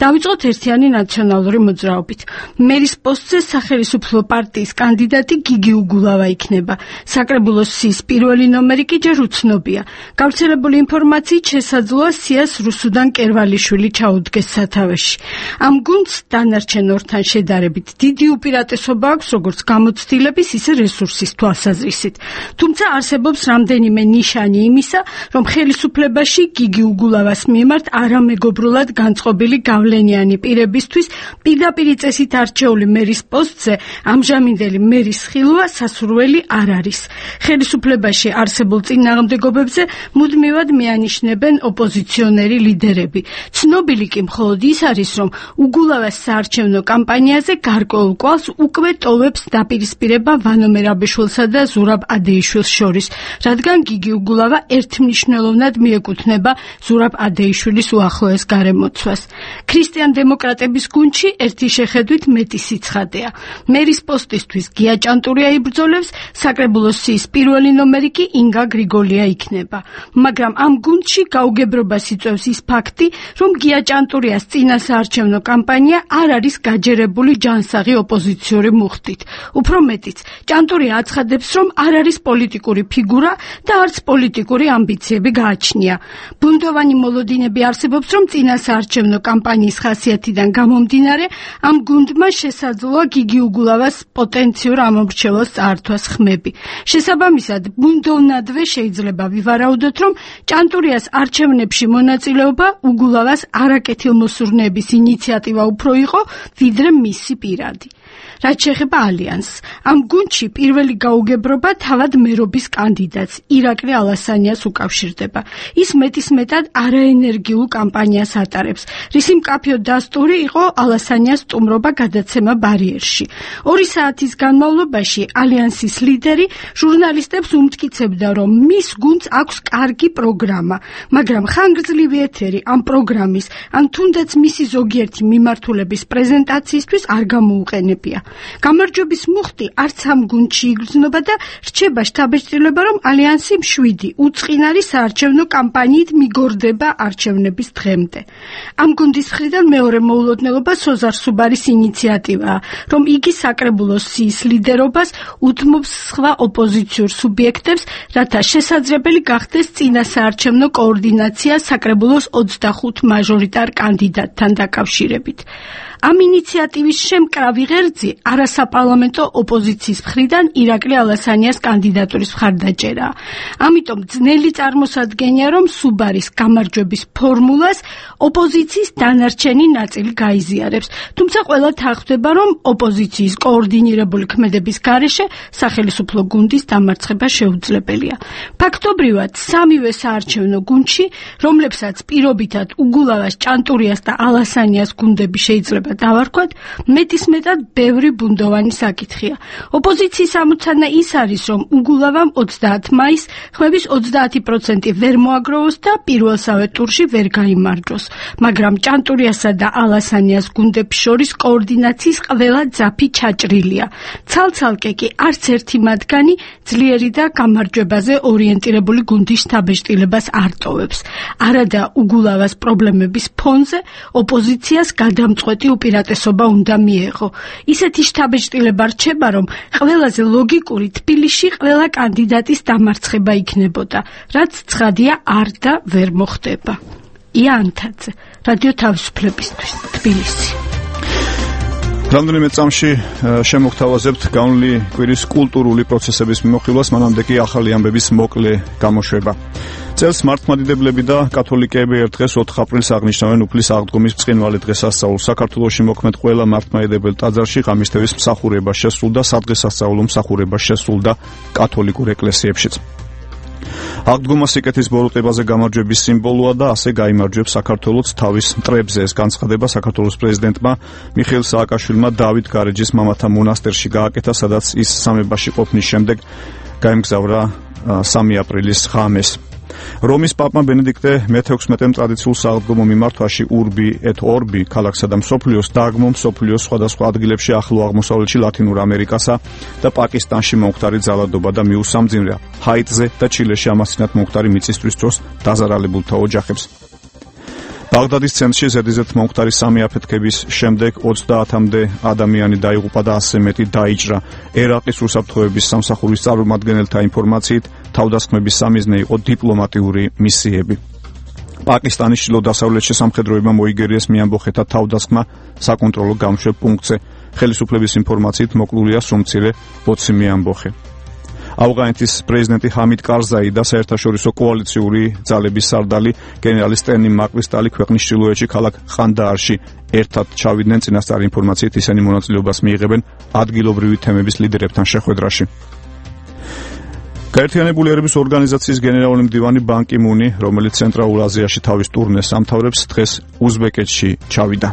დავიწყოთ ერთიანი ნაციონალური მოძრაობით. მერის პოსტზე სახელმწიფო პარტიის კანდიდატი გიგი უგულავა იქნება. საკრებულოს სიის პირველი ნომერი კი ჯერ უცნობია. გავრცელებული ინფორმაციით შესაძლოა სიას რუსუდან კერვალიშვილი ჩაუდგეს სათავეში. ამ გუნდს დანარჩენ ორთან შედარებით დიდი უპირატესობა აქვს როგორც გამოცდილების, ისე რესურსის თვალსაზრისით. თუმცა არსებობს რამდენიმე ნიშანი იმისა, რომ ხელისუფლებაში გიგი უგულავას მიმართ არამეგობრულად განწყობილი გავლენიანი პირებისთვის პირდაპირ წესით არჩეული მერის პოსტზე ამჟამინდელი მერის ხილვა სასურველი არ არის. ხელისუფლებაში არსებულ წინააღმდეგობებზე მუდმივად მიანიშნებენ ოპოზიციონერი ლიდერები. ცნობილი კი მხოლოდ ის არის, რომ უგულავას საარჩევნო კამპანიაზე გარკვეულ კვალს უკვე ტოვებს დაპირისპირება ვანო მერაბიშვილსა და ზურაბ ადეიშვილს შორის, რადგან გიგი უგულავა ერთმნიშვნელოვნად მიეკუთვნება ზურაბ ადეიშვილის უახლოეს გარემოცვას. ქრისტიან-დემოკრატების გუნდში ერთი შეხედვით მეტი სიცხადეა. მერის პოსტისთვის გია ჭანტურია იბრძოლებს, საკრებულოს სიის პირველი ნომერი კი ინგა გრიგოლია იქნება. მაგრამ ამ გუნდში გაუგებრობას იწვევს ის ფაქტი, რომ გია ჭანტურიას წინასაარჩევნო კამპანია არ არის გაჯერებული ჯანსაღი ოპოზიციური მუხტით. უფრო მეტიც, ჭანტურია აცხადებს, რომ არ არის პოლიტიკური ფიგურა და არც პოლიტიკური ამბიციები გააჩნია. ბუნდოვანი მოლოდინები არსებობს, რომ წინასაარჩევნო კამპანიის ხასიათიდან გამომდინარე, ამ გუნდმა შესაძლოა გიგი უგულავას პოტენციურ ამომრჩევლს წაართვას ხმები. შესაბამისად, ბუნდოვნადვე შეიძლება ვივარაუდოთ, რომ ჭანტურიას არჩევნებში მონაწილეობა უგულავას არაკეთილმოსურნეების ინიციატივა უფრო იყო, ვიდრე მისი პირადი. რაც შეეხება ალიანსს, ამ გუნდში პირველი გაუგებრობა თავად მერობის კანდიდატს ირაკლი ალასანიას უკავშირდება. ის მეტისმეტად არაენერგიულ კამპანიას ატარებს, რისი მკაფიო დასტური იყო ალასანიას სტუმრობა გადაცემა ბარიერში. 2 საათის განმავლობაში ალიანსის ლიდერი ჟურნალისტებს უმტკიცებდა, რომ მის გუნდს აქვს კარგი პროგრამა, მაგრამ ხანგრძლივი ეთერი ამ პროგრამის, ან თუნდაც მისი ზოგიერთი მიმართულების პრეზენტაციისთვის არ გამოუყენებია. გამარჯვების მუხტი არც ამ გუნდში იგრძნობა და რჩება შთაბეჭდილება, რომ ალიანსი 7 უწყინარი საარჩევნო კამპანიით მიგორდება არჩევნების დღემდე. ამ გუნდის მხრიდან მეორე მოულოდნელობა სოზარ სუბარის ინიციატივაა, რომ იგი საკრებულოს სიის ლიდერობას უთმობს სხვა ოპოზიციურ სუბიექტებს, რათა შესაძლებელი გახდეს წინასაარჩევნო კოორდინაცია საკრებულოს 25 მაჟორიტარ კანდიდატთან დაკავშირებით. ამ ინიციატივის შემკრავი ღერძი არასაპარლამენტო ოპოზიციის მხრიდან ირაკლი ალასანიას კანდიდატურის მხარდაჭერაა. ამიტომ ძნელი წარმოსადგენია, რომ სუბარის გამარჯვების ფორმულას ოპოზიციის დანარჩენი ნაწილი გაიზიარებს. თუმცა ყველა თანხმდება, რომ ოპოზიციის კოორდინირებული ქმედების გარეშე სახელმწიფო გუნდის დამარცხება შეუძლებელია. ფაქტობრივად, 3-ვე საარჩევნო გუნდში, რომლებსაც პირობითად უგულავას, ჭანტურიას და ალასანიას გუნდები შეიძლება დავარქვათ, მეტისმეტად ბევრი ბუნდოვანი საკითხია. ოპოზიციის ამოცანა ის არის, რომ უგულავამ 30 მაისს ხმების 30% ვერ მოაგროვოს და პირველსავე ტურში ვერ გაიმარჯვოს. მაგრამ ჭანტურიასა და ალასანიას გუნდებს შორის კოორდინაციის ყველა ძაფი ჩაჭრილია. ცალ-ცალკე კი არც ერთი მათგანი ძლიერი და გამარჯვებაზე ორიენტირებული გუნდის შთაბეჭდილებას არ ტოვებს. არადა უგულავას პრობლემების ფონზე ოპოზიციას გადამწყვეტი უპირატესობა უნდა მიეღო. ისეთი შთაბეჭდილება რჩება, რომ ყველაზე ლოგიკური თბილისში ყველა კანდიდატის დამარცხება იქნებოდა, რაც ცხადია არ და ვერ მოხდება. იან თაძე, რადიო თავისუფლებისთვის, თბილისი. რამდენიმე წამში შემოგთავაზებთ განვლილი კვირის კულტურული პროცესების მიმოხილვას, მანამდე კი ახალი ამბების მოკლე გამოშვება. წელს მართლმადიდებლები და კათოლიკეები ერთ დღეს 4 აპრილს აღნიშნავენ უფლის აღდგომის ბრწყინვალე დღესასწაულს. საქართველოში მოქმედ ყველა მართლმადიდებელ ტაძარში ღამისთების მსახურება შესრულდა, სადღესასწაულო მსახურება შესრულდა კათოლიკურ ეკლესიებშიც. აღდგომა სიკეთის ბოროტებაზე გამარჯვების სიმბოლოა და ასე გაიმარჯვებს საქართველოს თავის მტრებზე. ეს განცხადება საქართველოს პრეზიდენტმა მიხეილ სააკაშვილმა დავით გარეჯის მამათა მონასტერში გააკეთა, სადაც ის სამებაში ყოფნის შემდეგ გაემგზავრა 3 აპრილის ღამეს. რომის პაპმა ბენედიქტე მე-16-მ ტრადიციულ სააღდგომო მიმართვაში Urbi et Orbi ქალაქსა და მსოფლიოს დაგმო მსოფლიოს სხვადასხვა ადგილებში ახლო აღმოსავლეთში, ლათინურ ამერიკასა და პაკისტანში მომხდარი ძალადობა და მიუსამძიმრა ჰაიტზე და ჩილეში ამასთანავ მომხდარი მიწისძვრის დროს დაზარალებულთა ოჯახებს. ბაღდადის ცენტრში ზედიზედ მომხდარი 3 აფეთქების შემდეგ 30-მდე ადამიანი დაიღუპა და 100 მეტი დაიჭრა. ერაყის რუსაფრთხოების სამსახურის წარმომადგენელთა ინფორმაციით თავდასხმების სამიზნე იყო დიპლომატიური მისიები. პაკისტანის ჩრდილო-დასავლეთში სამხედროებმა მოიგერიეს მიამბოხეთა თავდასხმა საკონტროლო გამშვებ პუნქტზე. ხელისუფლების ინფორმაციით მოკლულია სრულმცირე 20 მიამბოხე. ავღანეთის პრეზიდენტი ჰამიდ კარზაი და საერთაშორისო კოალიციური ძალების სარდალი გენერალი სტენი მაკრისტალი ქვეყნის ჩრდილოეთში ქალაქ ყანდაარში ერთად ჩავიდნენ. წინასწარი ინფორმაციით ისინი მონაწილეობას მიიღებენ ადგილობრივი თემების ლიდერებთან შეხვედრაში. გაერთიანებული ერების ორგანიზაციის გენერალური მდივანი ბან კი მუნი, რომელიც ცენტრალურ აზიაში თავის ტურნეს ამთავრებს, დღეს უზბეკეთში ჩავიდა.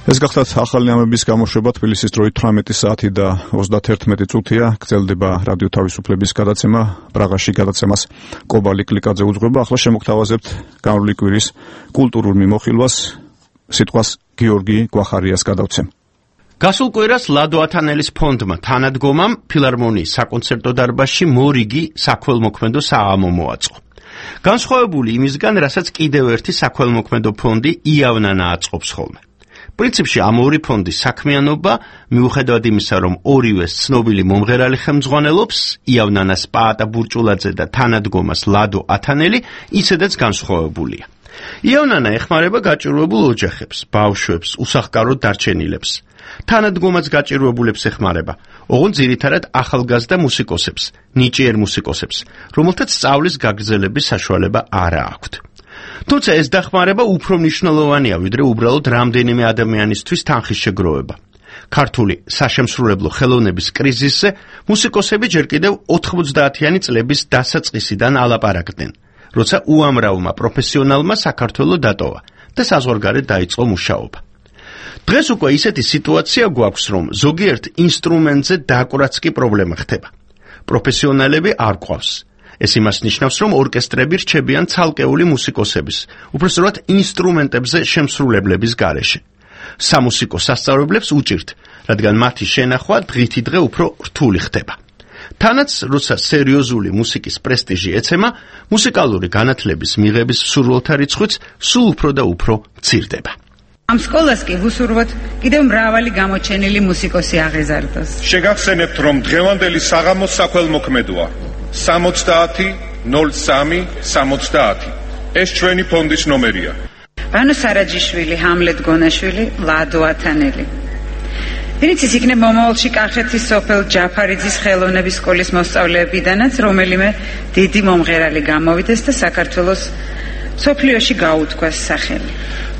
ეს გახლავთ ახალი ამბების გამოშვება. თბილისის დროით 18 საათი და 31 წუთია. გრძელდება რადიო თავისუფლების გადაცემა. პრაღაში გადაცემას კობალი კლიკაძე უძღვება. ახლა შემოგთავაზებთ განვლილი კვირის კულტურულ მიმოხილვას. სიტყვას გიორგი გვახარიას გადავცემ. გასულ კვირას ლადო ათანელის ფონდმა თანადგომამ ფილარმონიის საკონცერტო დარბაზში მორიგი საქველმოქმედო საამო მოაწყო. განსხვავებული იმისგან, რასაც კიდევ ერთი საქველმოქმედო ფონდი იავნანა აწყობს ხოლმე. პრინციპში ამ ორი ფონდის საქმიანობა, მიუხედავად იმისა, რომ ორივეს ცნობილი მომღერალი ხელმძღვანელობს, იავნანას პაატა ბურჭულაძე და თანადგომას ლადო ათანელი, ისედაც განსხვავებულია. იავნანა ეხმარება გაჭირვებულ ოჯახებს, ბავშვებს, უსახკაროდ დარჩენილებს. თანადგომაც გაჭირვებულებს ეხმარება, ოღონდ ძირითადად ახალგაზრდა მუსიკოსებს, ნიჭიერ მუსიკოსებს, რომელთაც სწავლის გაგრძელების საშუალება არ აქვთ. თუმცა ეს დახმარება უფრო მნიშვნელოვანია, ვიდრე უბრალოდ რამდენიმე ადამიანისთვის თანხის შეგროვება. ქართული საშემსრულებლო ხელოვნების კრიზისზე მუსიკოსები ჯერ კიდევ 90-იანი წლების დასაწყისიდან ალაპარაკდნენ, როცა უამრავმა პროფესიონალმა საქართველოს დატოვა და საზღვარგარეთ დაიწყო მუშაობა. დღეს უკვე ისეთი სიტუაცია გვაქვს, რომ ზოგიერთ ინსტრუმენტზე დაკვრაც კი პრობლემა ხდება. პროფესიონალები არ გვყავს. ეს იმას ნიშნავს, რომ ორკესტრები რჩებიან ცალკეული მუსიკოსების, უпроსტად ინსტრუმენტებზე შემსრულებლების გარეშე. სამუსიკო სასწავლებლებს უჭირთ, რადგან მათი შენახვა დღითი დღე უფრო რთული ხდება. თანაც, როცა სერიოზული მუსიკის პრესტიჟი ეცემა, მუსიკალური განათლების მიღების მსურველთა რიცხვიც სულ უფრო და უფრო მცირდება. ამ სკოლას კი ვუსურვოთ კიდევ მრავალი გამოჩენილი მუსიკოსი აღეზარდოს. შეგახსენებთ, რომ დღევანდელი საღამოს საქველმოქმედოა 70-03-70. ეს ჩვენი ფონდის ნომერია. ბანო სარაჯიშვილი, ჰამლეტ გონაშვილი, ლადო ათანელი. ვინც ის იქნება მომავალში კახეთის სოფელ ჯაფარიძის ხელოვნების სკოლის მოსწავლეებიდანაც, რომელიმე დიდი მომღერალი გამოვიდეს და საქართველოს სოფლიოში გაუთქვას სახელი.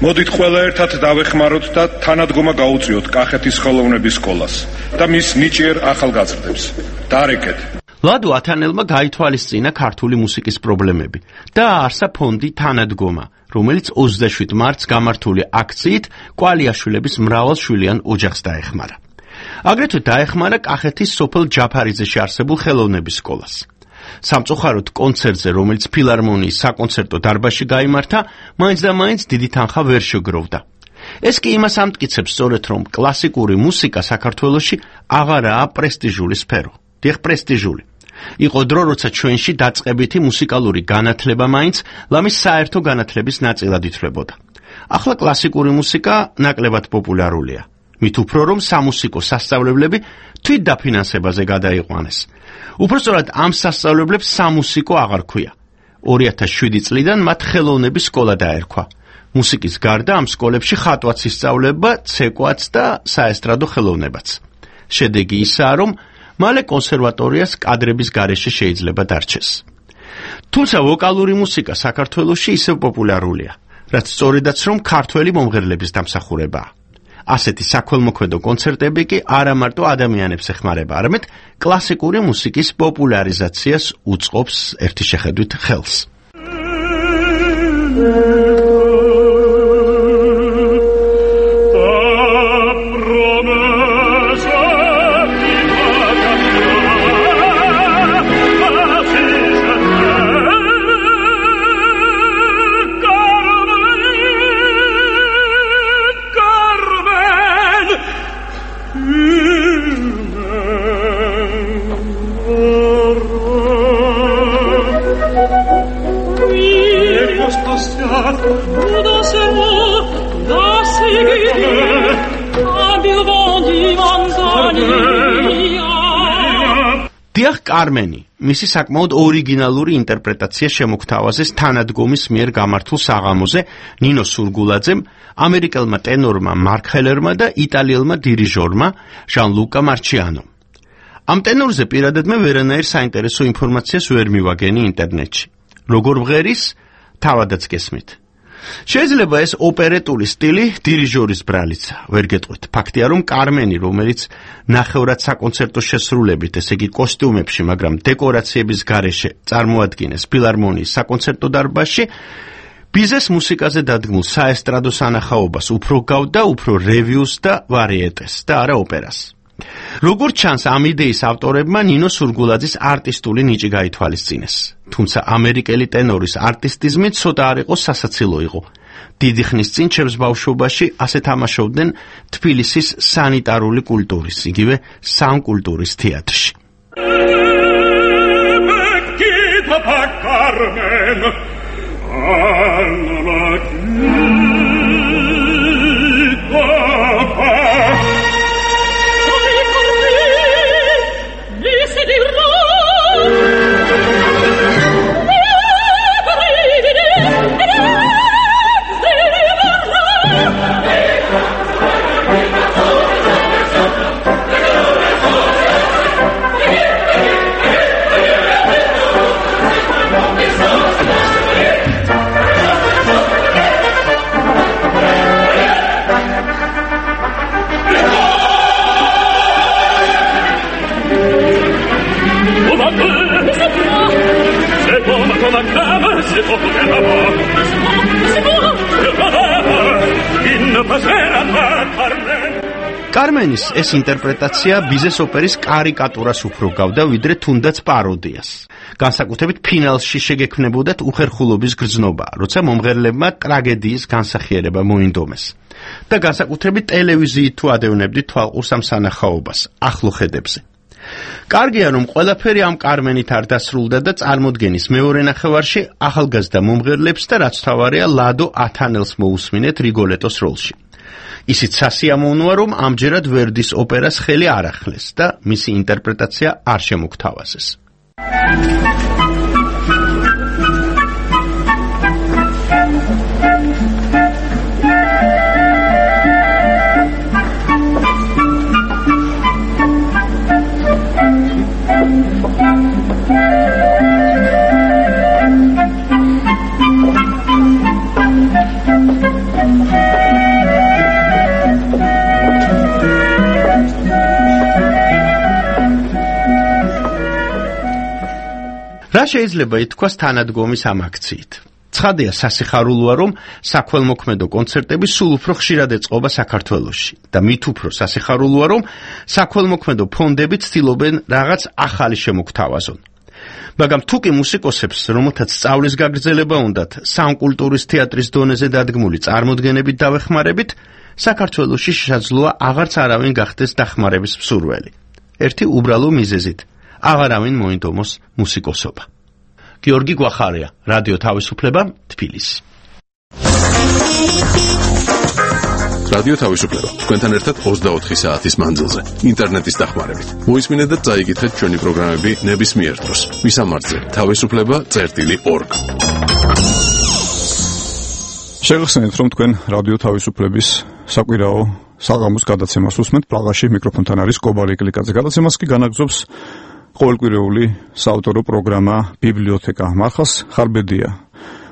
მოდით ყველა ერთად დავეხმაროთ და თანადგომა გაუწიოთ კახეთის ხელოვნების სკოლას და მის ნიჭიერ ახალგაზრდებს. დარეკეთ. ლადო ათანელმა გაითვალისწინა ქართული მუსიკის პრობლემები და აარსა ფონდი თანადგომა, რომელიც 27 მარტს გამართული აქციით კვალიაშვილების მრავალშვილიან ოჯახს დაეხმარა. აგრეთვე დაეხმარა კახეთის სოფელ ჯაფარიძეში არსებულ ხელოვნების სკოლას. სამწუხაროდ კონცერტზე, რომელიც ფილარმონიის საკონცერტო დარბაზში გაიმართა, მაინც და მაინც დიდი თანხა ვერ შეგროვდა. ეს კი იმას ამტკიცებს სწორედ, რომ კლასიკური მუსიკა საქართველოში აღარაა პრესტიჟული სფერო. დიახ, პრესტიჟული. იყო დრო, როცა ჩვენში დაწყებითი მუსიკალური განათლება მაინც ლამის საერთო განათლების ნაწილად ითვლებოდა. ახლა კლასიკური მუსიკა ნაკლებად პოპულარულია. მით უფრო რომ სამუსიკო სასწავლებლები თვით დაფინანსებაზე გადაიყვანეს. უпроსტად ამ სასწავლებლებს სამუსიკო აღარ ქვია. 2007 წლიდან მათ ხელოვნების სკოლა დაერქვა. მუსიკის გარდა ამ სკოლებში ხატვაც ისწავლება, ცეკვაც და საესტრადო ხელოვნებაც. შედეგი ისაა, რომ მალე კონსერვატორიას კადრების გარეშე შეიძლება დარჩეს. თუმცა ვოკალური მუსიკა საქართველოში ისევ პოპულარულია, რაც სწორედაც რომ ქართველი მომღერლების დამსახურებაა. ასეთი საქველმოქმედო კონცერტები კი არა მარტო ადამიანებს ეხმარება, არამედ კლასიკური მუსიკის პოპულარიზაციას უწყობს ერთი შეხედვით ხელს. დიახ, კარმენი, მისი საკმაოდ ორიგინალური ინტერპრეტაცია შემოგთავაზეს თანადგომის მიერ გამართულ საღამოზე ნინო სურგულაძემ, ამერიკელმა ტენორმა მარკ ჰელერმა და იტალიელმა დირიჟორმა ჟან ლუკა მარჩიანომ. ამ ტენორზე პირადად მე ვერანაირ საინტერესო ინფორმაციას ვერ მივაგენი ინტერნეტში. როგორ ვღერის, თავადაც გესმით. შეიძლება ეს ოპერეტული სტილი დირიჟორის ბრალიცა, ვერ გეტყვით. ფაქტია, რომ კარმენი, რომელიც ნახევრად საკონცერტო შესრულებით, ესე იგი კოსტიუმებში, მაგრამ დეკორაციების გარეშე წარმოადგენეს ფილარმონიის საკონცერტო დარბაზში, ბიზეს მუსიკაზე დადგმულ საესტრადო სანახაობას უფრო გავდა, უფრო რევიუს და ვარიეტეს და არა ოპერას. როგორც ჩანს, ამ იდეის ავტორებმა ნინო სურგულაძის არტისტული ნიჭი გაითვალისწინეს. თუმცა ამერიკელი ტენორის არტისტიზმი ცოტა არ იყო სასაცილო იყო. დიდი ხნის წინ ჩემს ბავშვობაში ასე თამაშობდნენ თბილისის სანიტარული კულტურის, იგივე სამკულტურის თეატრში. კარმენის ეს ინტერპრეტაცია ბიზეს ოპერის კარიკატურას უფრო გავდა, ვიდრე თუნდაც პაროდიას. განსაკუთრებით ფინალში შეგექმნებოდათ უხერხულობის გრძნობა, როცა მომღერლებმა ტრაგედიის განსახიერება მოინდომეს. და განსაკუთრებით ტელევიზიით თუ ადევნებდით თვალყურს ამ სანახაობას, ახლო ხედებზე. კარგია, რომ ყველაფერი ამ კარმენით არ დასრულდა და წარმოდგენის მეორე ნახევარში ახალგაზრდა მომღერლებს და რაც თავარია ლადო ათანელს მოусმინეთ რიგოლეტოს როლში. ისიც სასიამოვნოა, რომ ამჯერად ვერდის ოპერას ხელი არ ახლეს და მისი ინტერპრეტაცია არ შემოგთავაზეს. რა შეიძლება ითქვას თანადგომის ამ აქციით? ცხადია, სასიხარულოა, რომ საქველმოქმედო კონცერტები სულ უფრო ხშირად ეწყობა საქართველოში და მით უფრო სასიხარულოა, რომ საქველმოქმედო ფონდები ცდილობენ რაღაც ახალი შემოგთავაზონ. მაგრამ თუ კი მუსიკოსებს, რომელთაც სწავლის გაგრძელება უნდათ, სამკულტურის თეატრის დონეზე დადგმული წარმოდგენებით დავეხმარებით, საქართველოში შესაძლოა აღარც არავინ გახდეს დახმარების მსურველი. ერთი უბრალო მიზეზით. აღარავინ მოინდომოს მუსიკოსობა. გიორგი გვახარია, რადიო თავისუფლება, თბილისი. რადიო თავისუფლება. თქვენთან ერთად 24 საათის მანძილზე. ინტერნეტის დახმარებით. მოისმინეთ და წაიკითხეთ ჩვენი პროგრამები ნებისმიერ დროს. მისამართზე: თავისუფლება.org. შეგახსენებთ, რომ თქვენ რადიო თავისუფლების საკვირაო საღამოს გადაცემას უსმენთ. პრაღაში მიკროფონთან არის კობარი კლიკაძე. გადაცემას კი განაგრძობს ყოველკვირეული საავტორო პროგრამა ბიბლიოთეკა. მარხას ხარბედია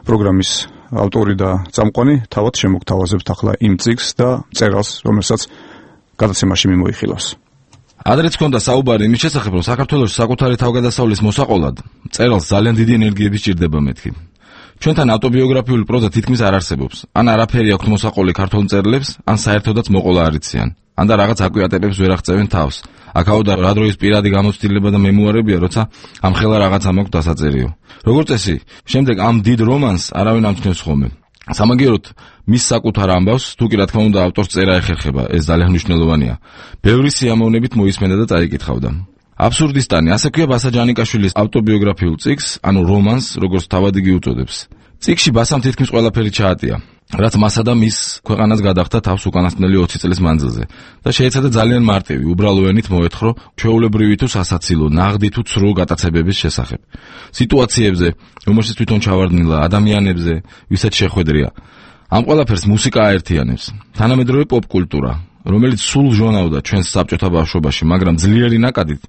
პროგრამის ავტორი და წამყვანი. თავად შემოგთავაზებთ ახლა იმ წიგნს და წერალს, რომელსაც გადაცემაში მიმოიხილავს. ადრეც ჰქონდა საუბარი იმის შესახებ, რომ საქართველოს საკუთარი თავგადასავლის მოსაყოლად წერალს ძალიან დიდი ენერგიები სჭირდება მეთქი. ჩვენთან ავტობიოგრაფიული პროზა თითქმის არ არსებობს. ან არაფერი აქვთ მოსაყოლი ქართულ მწერლებს, ან საერთოდაც მოყოლა არ იციან. ან და რაღაც აკვიატებებს ვერ აღწევენ თავს. აქაო და რა დროის პირადი გამოცდილება და მემუარებია, როცა ამ ხელა რაღაცა მაქვს დასაწერიო. როგორც წესი, შემდეგ ამ დიდ რომანს არავინ ამჩნევს ხოლმე. სამაგიეროდ მის საკუთარ ამბავს, თუ კი რა თქმა უნდა ავტორს წერა ეხერხება, ეს ძალიან მნიშვნელოვანია. ბევრი სიამოვნებით მოისმენდა და წაიკითხავდა. აბსურდისტანი, ასე ქვია ბასა ჯანიკაშვილის ავტობიოგრაფიულ წიგნს, ანუ რომანს, როგორც თავად იგი უწოდებს. წიგნში ბასამ თითქმის ყველაფერი ჩაატია, რაც მასა და მის ქვეყანას გადახდა თავს უკანასკნელი 20 წლის მანძილზე და შეეცადა ძალიან მარტივი, უბრალო ენით მოეთხრო ჩვეულებრივი თუ სასაცილო, ნაღდი თუ ცრუ გატაცებების შესახებ. სიტუაციებზე, რომელშიც თვითონ ჩავარდნილა, ადამიანებზე, ვისაც შეხვედრია. ამ ყველაფერს მუსიკა აერთიანებს, თანამედროვე პოპ-კულტურა, რომელიც სულ ჟონავდა ჩვენს საბჭოთა ბავშვობაში, მაგრამ ძლიერი ნაკადით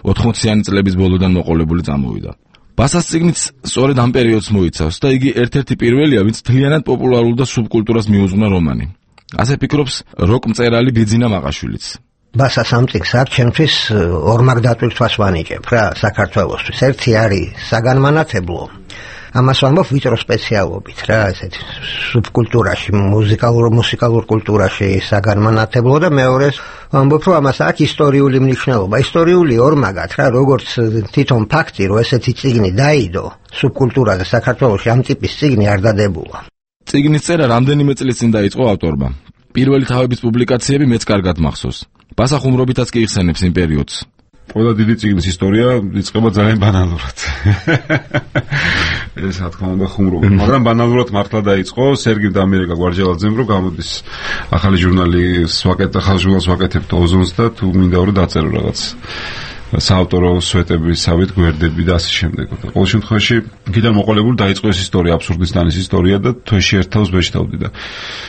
80-იანი წლების ბოლოდან მოყოლებული წამოვიდა. ბასას წიგნიც სწორედ ამ პერიოდს მოიცავს და იგი ერთ-ერთი პირველია, ვინც მთლიანად პოპულარულ და სუბკულტურას მიუძღვნა რომანი. ასე ფიქრობს როკ მწერალი ბიძინა მაყაშვილიც. ბასას ამ წიგნს აქ ჩემთვის ორმაგ დატვირთვას ვანიჭებ რა საქართველოსთვის. ერთი არის საგანმანათებლო. ამას ვამბობ ვიწრო სპეციალობით რა, ესეთი სუბკულტურაში, მუსიკალურ კულტურაში საგანმანათებლო და მეორე ვამბობ რომ ამას აქვს ისტორიული მნიშვნელობა. ისტორიული ორმაგად რა, როგორც თვითონ ფაქტი, რომ ესეთი წიგნი დაიდო სუბკულტურაზე საქართველოში, ამ ტიპის წიგნი არ დადებულა. წიგნის წერა რამდენიმე წლის წინ დაიწყო ავტორმა. პირველი თავების პუბლიკაციები მეც კარგად მახსოვს. ბასა ხუმრობითაც კი იხსენებს იმ პერიოდს. ყველა დიდი წიგნის ისტორია იწყება ძალიან ბანალურად. ეს რა თქმა უნდა ხუმრობა, მაგრამ ბანალურად მართლა დაიწყო. სერგი დამირეკა გვარჯალაძემ რომ გამოდის ახალი ჟურნალი ახალ ჟურნალს ვაკეთებ ოზონს და თუ მინდა რომ დაწერო რაღაც საავტორო სვეტებისავით გვერდები და ასე შემდეგ. ყოველ შემთხვევაში იქიდან მოყოლებული დაიწყო ეს ისტორია, აბსურდისტანის ისტორია და თვეში ერთ თავს ვეშთავდი და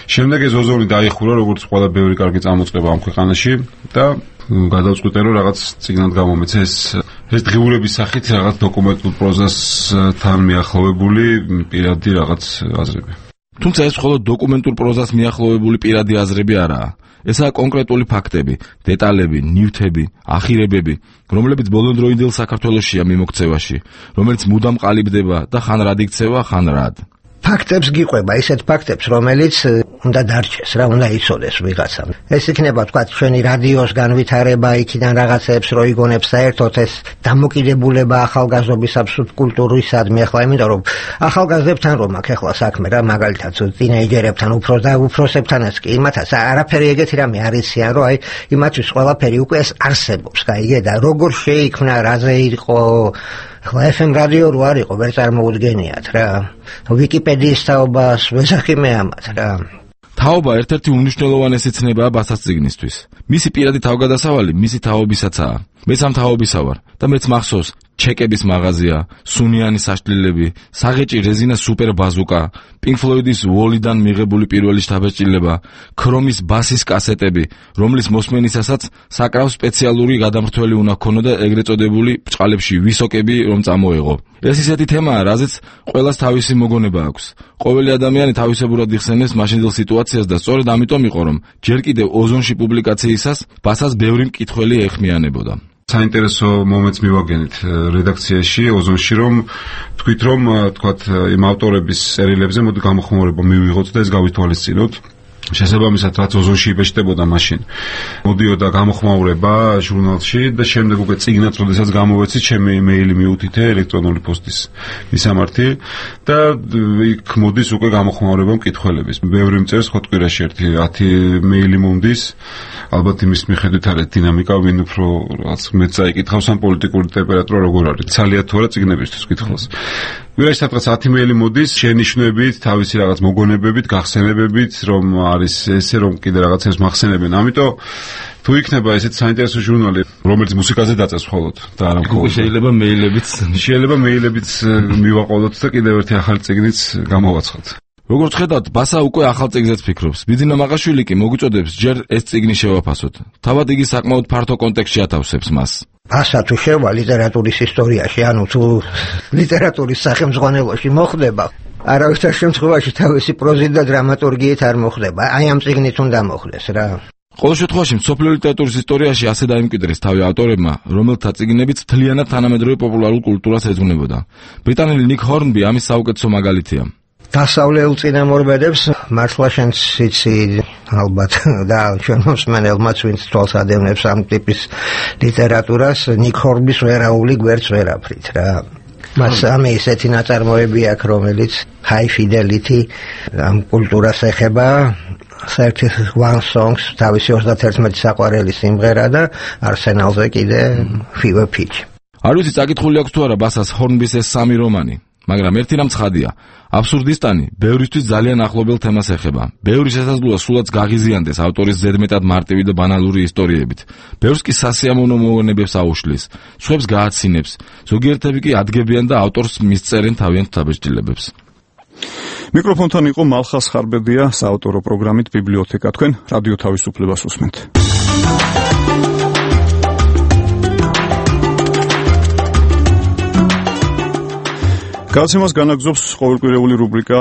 შემდეგ ეს ოზონი დაიხურა როგორც ყველა ბევრი კარგი წამოწყება ამ ქვეყანაში და გადავწყვიტე რომ რაღაც წიგნად გამომეცე ეს დღიურების სახით რაღაც დოკუმენტურ პროზასთან მიახლოვებული პირადი რაღაც აზრები. თუმცა ეს მხოლოდ დოკუმენტურ პროზას მიახლოვებული პირადი აზრები არაა. ესაა კონკრეტული ფაქტები, დეტალები, ნივთები, ახირებები, რომლებიც ბოლოდროინდელ საქართველოშია მიმოქცევაში, რომელიც მუდამ ყალიბდება და ხან რად იქცევა, ხან რად. ფაქტებს გიყვება, ისეთ ფაქტებს, რომელიც უნდა დარჩეს, რა უნდა იცოდეს ვიღაცამ. ეს იქნება, თქვა, ჩვენი რადიოს განვითარება, იქიდან რაღაცებს რო იგონებს საერთოდ ეს დამოკიდებულება ახალგაზრდობის სუბკულტურისადმი, ახლა იმიტომ რომ ახალგაზრდებთან რომ აქ ახლა საქმე რა, მაგალითად ტინეიჯერებთან, უფროსებთანაც კი, იმათაც არაფერი ეგეთი რამე არ იციან, რომ აი იმათთვის ყველაფერი უკვე ეს არსებობს, გაიგე და როგორ შეიქმნა, რაზე იყო ახლა FM რადიო რო არ იყო, ვერ წარმოუდგენიათ რა. ვიკიპედიის თაობას ვესახიმე ამათ რა. თაობა ერთ-ერთი უმნიშვნელოვანესი ცნებაა ბასას წიგნისთვის. მისი პირადი თავგადასავალი მისი თაობისაცაა. მეც ამ თაობისა ვარ და მეც მახსოვს ჩეკების მაღაზია, სუნიანი საშლილები, საღეჭი რეზინა სუპერ ბაზუკა, Pink Floyd-ის Wall-დან მიღებული პირველი შთაბეჭდილება, ქრომის ბასის კასეტები, რომლის მოსმენისასაც საკრავ სპეციალური გადამრთველი უნდა ქონოდა ეგრეთ წოდებული ბრჭყალებში ვისოკები რომ წამოეღო. ეს ისეთი თემაა, რაზეც ყველას თავისი მოგონება აქვს. ყოველი ადამიანი თავისებურად იხსენებს მაშინდელ სიტუაციას და სწორედ ამიტომ იყო რომ ჯერ კიდევ ოზონში პუბლიკაციისას ბასას ბევრი მკითხველი ეხმიანებოდა. საინტერესო მომენტს მივაგენით რედაქციაში ოზონში რომ თქვით რომ თქვათ იმ ავტორების წერილებზე მოდი გამოხმაურება მივიღოთ და ეს გავითვალისწინოთ. შესაბამისად რაც ოზონში იბეჭდებოდა მაშინ მოდიოდა გამოხმაურება ჟურნალში და შემდეგ უკვე წიგნად როდესაც გამოვეცი ჩემი იმეილი მიუთითე ელექტრონული პოსტის მისამართი და იქ მოდის უკვე გამოხმაურება მკითხველების. ბევრი მწერს ხო კვირაში ერთი 10 მეილი მომდის ალბათ იმის მიხედვით არის დინამიკა, ვინ უფრო რაღაც მეც წაიკითხავს ამ პოლიტიკური ტემპერატურა როგორ არის. ცალია თუ არა ციგნებისთვის კითხავს. ვიღაც სადღაც 10 მეილი მოდის შენიშვნებით, თავისი რაღაც მოგონებებით, გახსენებებით, რომ არის ესე რომ კიდე რაღაცებს მახსენებენ. ამიტომ თუ იქნება ესეთ საინტერესო ჟურნალი, რომელიც მუსიკაზე დაწეს მხოლოდ და არა მხოლოდ შეიძლება მეილებიც მივაყოლოთ და კიდევ ერთი ახალი წიგნიც გამოვაცხოთ. როგორც ხედავთ, ბასა უკვე ახალ წიგნზეც ფიქრობს. ბიძინა მაყაშვილი კი მოგვიწოდებს ჯერ ეს წიგნი შევაფასოთ. თავად იგი საკმაოდ ფართო კონტექსტში ათავსებს მას. ბასა თუ შევა ლიტერატურის ისტორიაში, ანუ თუ ლიტერატურის სახელმძღვანელოში მოხდება, არავითარ შემთხვევაში თავისი პროზით და დრამატურგიით არ მოხდება. აი ამ წიგნით უნდა მოხდეს რა. ყოველ შემთხვევაში მსოფლიო ლიტერატურის ისტორიაში ასე დაიმკვიდრეს თავი ავტორებმა, რომელთა წიგნებიც მთლიანად თანამედროვე პოპულარულ კულტურას ეძღვნებოდა. ბრიტანელი ნიკ ჰორნბი ამის საუკეთესო მაგალითია. დასავლელ წინამორბედებს მართლა შენც იცი ალბათ და ჩვენ მოსმენელმაც ვინც თვალს ადევნებს ამ ტიპის ლიტერატურას, ნიკ ჰორნბის ვერაული გვერდს ვერაფრით რა. მას ამე ისეთი ნაწარმოები აქვს, რომელიც high fidelity ამ კულტურას ეხება. საერთოდ One Songs თავისი 31 საყვარელი სიმღერა და არსენალზე კიდე Fever Pitch. არ ვიცი წაკითხული აქვს თუ არა ბასას ჰორნბის ეს სამი რომანი, მაგრამ ერთი რამ ცხადია, აბსურდისტანი ბევრისთვის ძალიან ახლობელ თემას ეხება. ბევრი შესაძლოა სულაც გაღიზიანდეს ავტორის ზედმეტად მარტივი და ბანალური ისტორიებით. ბევრს კი სასიამოვნო მოვლენებებს აუშლის, სხვებს გააცინებს, ზოგიერთები კი ადგებიან და ავტორს მისწერენ თავიანთ დაბეჭდილებებს. მიკროფონთან იყო მალხას ხარბედია, საავტორო პროგრამით ბიბლიოთეკა. თქვენ რადიო თავისუფლებას უსმენთ. გადაცემას განაგზობს ყოველკვირეული რუბრიკა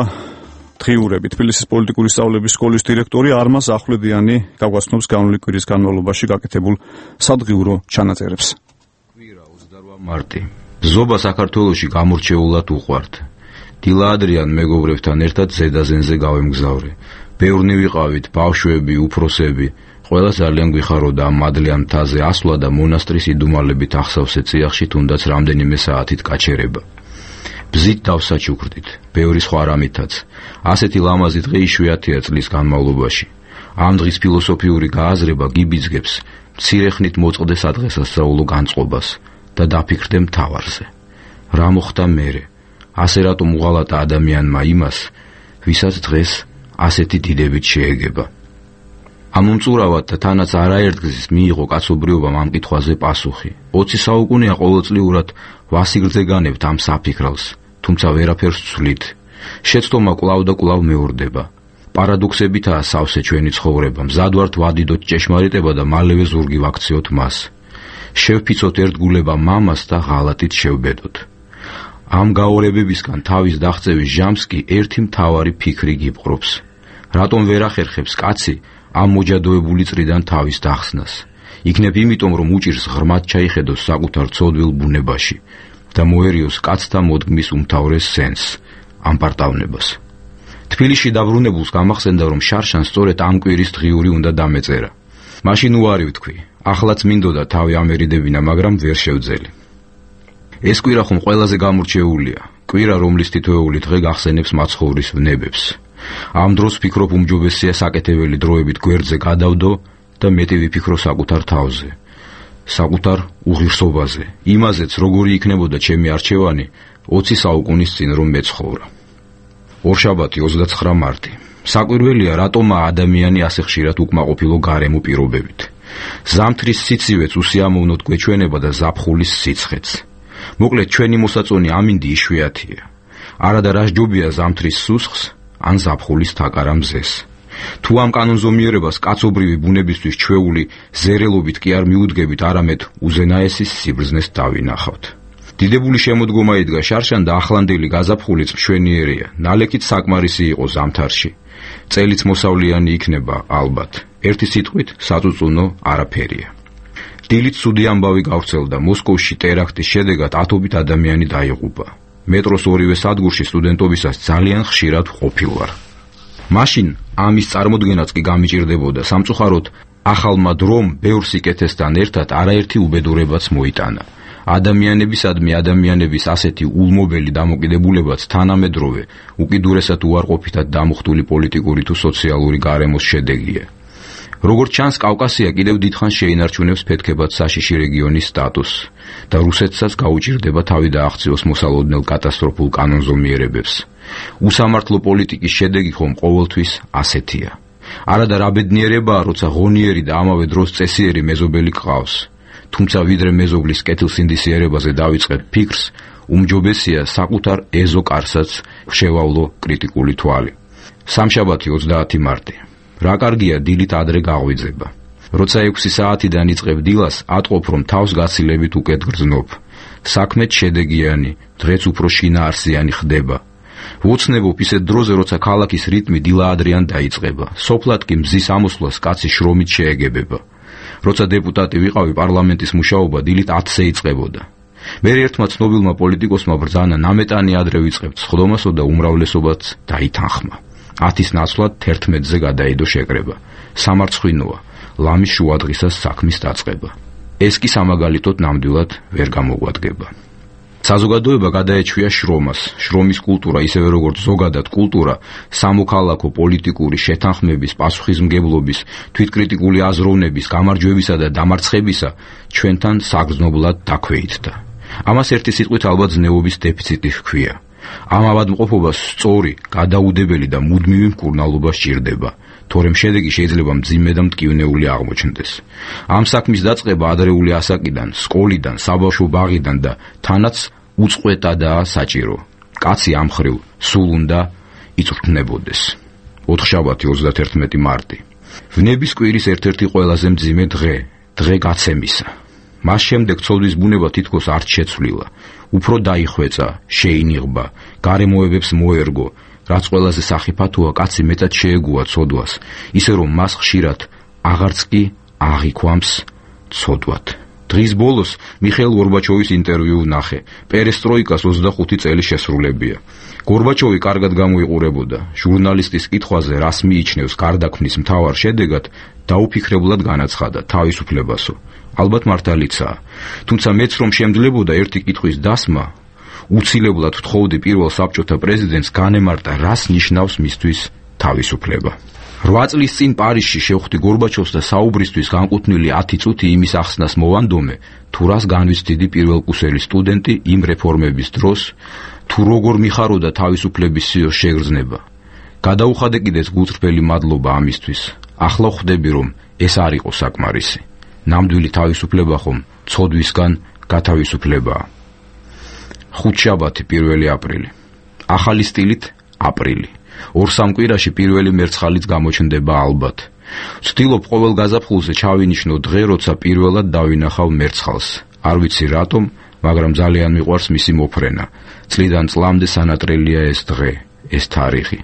დღიურები. თბილისის პოლიტიკური სწავლების სკოლის დირექტორი არმაზ ახვლედიანი გაგვაცნობს განული კვირის განმავლობაში გაკეთებულ სადღიურო ჩანაწერებს. კვირა 28 მარტი. ზობა საქართველოში გამორჩეულად უყვართ. დილა ადრიან მეგობრებთან ერთად ზედაზენზე გავემგზავრე. ბევრნი ვიყავით, ბავშვები, უფროსები. ყველა ძალიან გვიხაროდა ამ მადლიან მთაზე ასვლა და მონასტრის იდუმალებით ახსავსე წიაღში თუნდაც რამდენიმე საათით გაჩერება. ბზით დავსაჩუქრდით, ბევრი სხვა რამითაც. ასეთი ლამაზი დღე იშვიათია წლის განმავლობაში. ამ დღის ფილოსოფიური გააზრება გიბიძგებს მცირე ხნით მოწყდეს ადღესასწაულო განწყობას და დაფიქრდე მთავარზე. რა მოხდა მერე? ასე რატომ უღალატა ადამიანმა იმას, ვისაც დღეს ასეთი დიდებით შეეგება. ამ უმწურავად და თანაც არაერთგზის მიიღო კაცობრიობამ ამ კითხვაზე პასუხი. 20 საუკუნეა ყოველწლიურად ვასიგრძეგანებთ ამ საფიქრალს, თუმცა ვერაფერს ვცვლით. შეცდომა კვლავ და კვლავ მეორდება. პარადოქსებითაა სავსე ჩვენი ცხოვრება, მზად ვართ ვადიდოთ ჭეშმარიტება და მალევე ზურგი ვაქციოთ მას. შევფიცოთ ერთგულება მამას და ღალატით შევბედოთ. ამ გაორებებისგან თავის დაღწევის ჟამს კი ერთი მთავარი ფიქრი გიპყრობს. რატომ ვერ ახერხებს კაცი ამ მოჯადოებული წრიდან თავის დახსნას? იქნებ იმიტომ, რომ უჭირს ღრმად ჩაიხედოს საკუთარ ცოდვილ ბუნებაში და მოერიოს კაცთა მოდგმის უმთავრეს სენს, ამ პარტავნებას. თბილისში დაბრუნებულს გამახსენდა, რომ შარშან სწორედ ამ კვირის დღიური უნდა დამეწერა. მაშინ უარი ვთქვი, ახლაც მინდოდა თავი ამერიდებინა, მაგრამ ვერ შევძელი. ეს კვირა ხომ ყველაზე გამორჩეულია, კვირა, რომლის თითოეული დღე გახსენებს მაცხოვრის ვნებებს. ამ დროს ვფიქრობ უმჯობესია საკეთებელი დროებით გვერდზე გადავდო და მეტი ვიფიქრო საკუთარ თავზე, საკუთარ უღირსობაზე, იმაზეც როგორი იქნებოდა ჩემი არჩევანი 20 საუკუნის წინ რომ მეცხოვრა. ორშაბათი 29 მარტი. საკვირველია, რატომაა ადამიანი ასე ხშირად უკმაყოფილო გარემო პირობებით. ზამთრის სიცივეც უსიამოვნოდ გვეჩვენება და ზაფხულის სიცხეც. მოკლედ ჩვენი მოსაწონი ამინდი იშვიათია. არადა რასჯობია ზამთრის სუსხს ან ზაფხულის თაკარა მზეს. თუ ამ კანონზომიერებას კაცობრივი ბუნებისთვის ჩვეული ზერელობით კი არ მიუდგებით, არამედ უზენაესის სიბრძნეს დავინახავთ. დიდებული შემოდგომა იდგა შარშან და ახლანდელი გაზაფხული მშვენიერია, ნალექით საკმარისი იყო ზამთარში. წელიც მოსავლიანი იქნება ალბათ. ერთი სიტყვით საწუწუნო არაფერია. დილით ცუდი ამბავი გავრცელდა. მოსკოვში ტერაქტის შედეგად ათობით ადამიანი დაიღუპა. მეტროს ორივე სადგურში სტუდენტობისას ძალიან ხშირად ყოფილ ვარ. მაშინ ამის წარმოდგენაც კი გამიჭირდებოდა. სამწუხაროდ ახალმა დრომ ბევრ სიკეთესთან ერთად არაერთი უბედურებაც მოიტანა. ადამიანებისადმი ადამიანების ასეთი ულმობელი დამოკიდებულებაც თანამედროვე, უკიდურესად უარყოფითად დამუხტული პოლიტიკური თუ სოციალური გარემოს შედეგია. როგორც ჩანს, კავკასია კიდევ დიდხანს შეინარჩუნებს ფეთქებად საშიში რეგიონის სტატუსს და რუსეთსაც გაუჭირდება თავი დააღწიოს მოსალოდნელ კატასტროფულ კანონზომიერებებს. უსამართლო პოლიტიკის შედეგი ხომ ყოველთვის ასეთია. არადა რა ბედნიერებაა, როცა ღონიერი და ამავე დროს წესიერი მეზობელი გყავს. თუმცა ვიდრე მეზობლის კეთილსინდისიერებაზე დავიწყებ ფიქრს, უმჯობესია საკუთარ ეზო კარსაც შევავლო კრიტიკული თვალი. სამშაბათი 30 მარტი. რა კარგია დილით ადრე გაღვიძება. როცა 6 საათიდან იწყებ დილას, ატყობ რომ თავს გაცილებით უკეთ გრძნობ. საქმეც შედეგიანი, დღეც უფრო შინაარსიანი ხდება. ვოცნებობ ისეთ დროზე, როცა ქალაქის რიტმი დილა ადრეან დაიწყება. სოფლად კი მზის ამოსვლას კაცი შრომით შეეგებება. როცა დეპუტატი ვიყავი, პარლამენტის მუშაობა დილით 10-ზე იწყებოდა. მერე ერთმა ცნობილმა პოლიტიკოსმა ბრძანა ნამეტანი ადრე ვიწყებთ სხდომასო და უმრავლესობაც დაითანხმა. 10-ის ნაცვლად 11-ზე გადაიდო შეკრება. სამარცხვინოა, ლამის შუადღისას საქმის დაწყება. ეს კი სამაგალითოდ ნამდვილად ვერ გამოგვადგება. საზოგადოება გადაეჩვია შრომას. შრომის კულტურა, ისევე როგორც ზოგადად კულტურა, სამოქალაქო პოლიტიკური შეთანხმების, პასუხისმგებლობის, თვითკრიტიკული აზროვნების, გამარჯვებისა და დამარცხებისა ჩვენთან საგრძნობლად დაქვეითდა. ამას ერთი სიტყვით ალბათ ზნეობის დეფიციტი ჰქვია. ამ ავადმყოფობას სწორი, გადაუდებელი და მუდმივი მკურნალობა სჭირდება, თორემ შედეგი შეიძლება მძიმე და მტკივნეული აღმოჩნდეს. ამ საქმის დაწყება ადრეული ასაკიდან, სკოლიდან, საბავშვო ბაღიდან და თანაც უწყვეტადაა საჭირო. კაცი ამ ხრივ სულ უნდა იწვრთნებოდეს. ოთხშაბათი 31 მარტი. ვნების კვირის ერთ-ერთი ყველაზე მძიმე დღე გაცემისა. მას შემდეგ ცოდვის ბუნება თითქოს არ შეცვლილა. უფრო დაიხვეწა, შეინიღბა, გარემოებებს მოერგო, რაც ყველაზე სახიფათოა, კაცი მეტად შეეგუა ცოდვას, ისე რომ მას ხშირად აღარც კი აღიქვამს ცოდვად. დღის ბოლოს მიხეილ გორბაჩოვის ინტერვიუ ვნახე. პერესტროიკას 25 წელი შესრულებია. გორბაჩოვი კარგად გამოიყურებოდა. ჟურნალისტის კითხვაზე, რას მიიჩნევს გარდაქმნის მთავარ შედეგად, დაუფიქრებლად განაცხადა თავისუფლებასო. ალბათ მართალიცაა. თუმცა მეც რომ შემძლებოდა ერთი კითხვის დასმა, უცილებლად ვთხოვდი პირველ საბჭოთა პრეზიდენტს განემარტა, რას ნიშნავს მისთვის თავისუფლება. 8 წლის წინ პარიზში შევხვდი გორბაჩოვს და საუბრისთვის განკუთვნილი 10 წუთი იმის ახსნას მოვანდომე, თუ რას განვიცდიდი პირველკურსელი სტუდენტი იმ რეფორმების დროს, თუ როგორ მიხაროდა თავისუფლების სიოს შეგრძნება. გადაუხადე კიდეც გულწრფელი მადლობა ამისთვის. ახლა ხვდები, რომ ეს არ იყო საკმარისი. ნამდვილი თავისუფლება ხომ ცოდვისგან გათავისუფლებაა. ხუთშაბათი 1 აპრილი. ახალი სტილით აპრილი. 2-3 კვირაში პირველი მერცხალიც გამოჩნდება ალბათ. ვცდილობ ყოველ გაზაფხულზე ჩავინიშნო დღე, როცა პირველად დავინახავ მერცხალს. არ ვიცი რატომ, მაგრამ ძალიან მიყვარს მისი მოფრენა. წლიდან წლამდე სანატრელია ეს დღე, ეს თარიღი.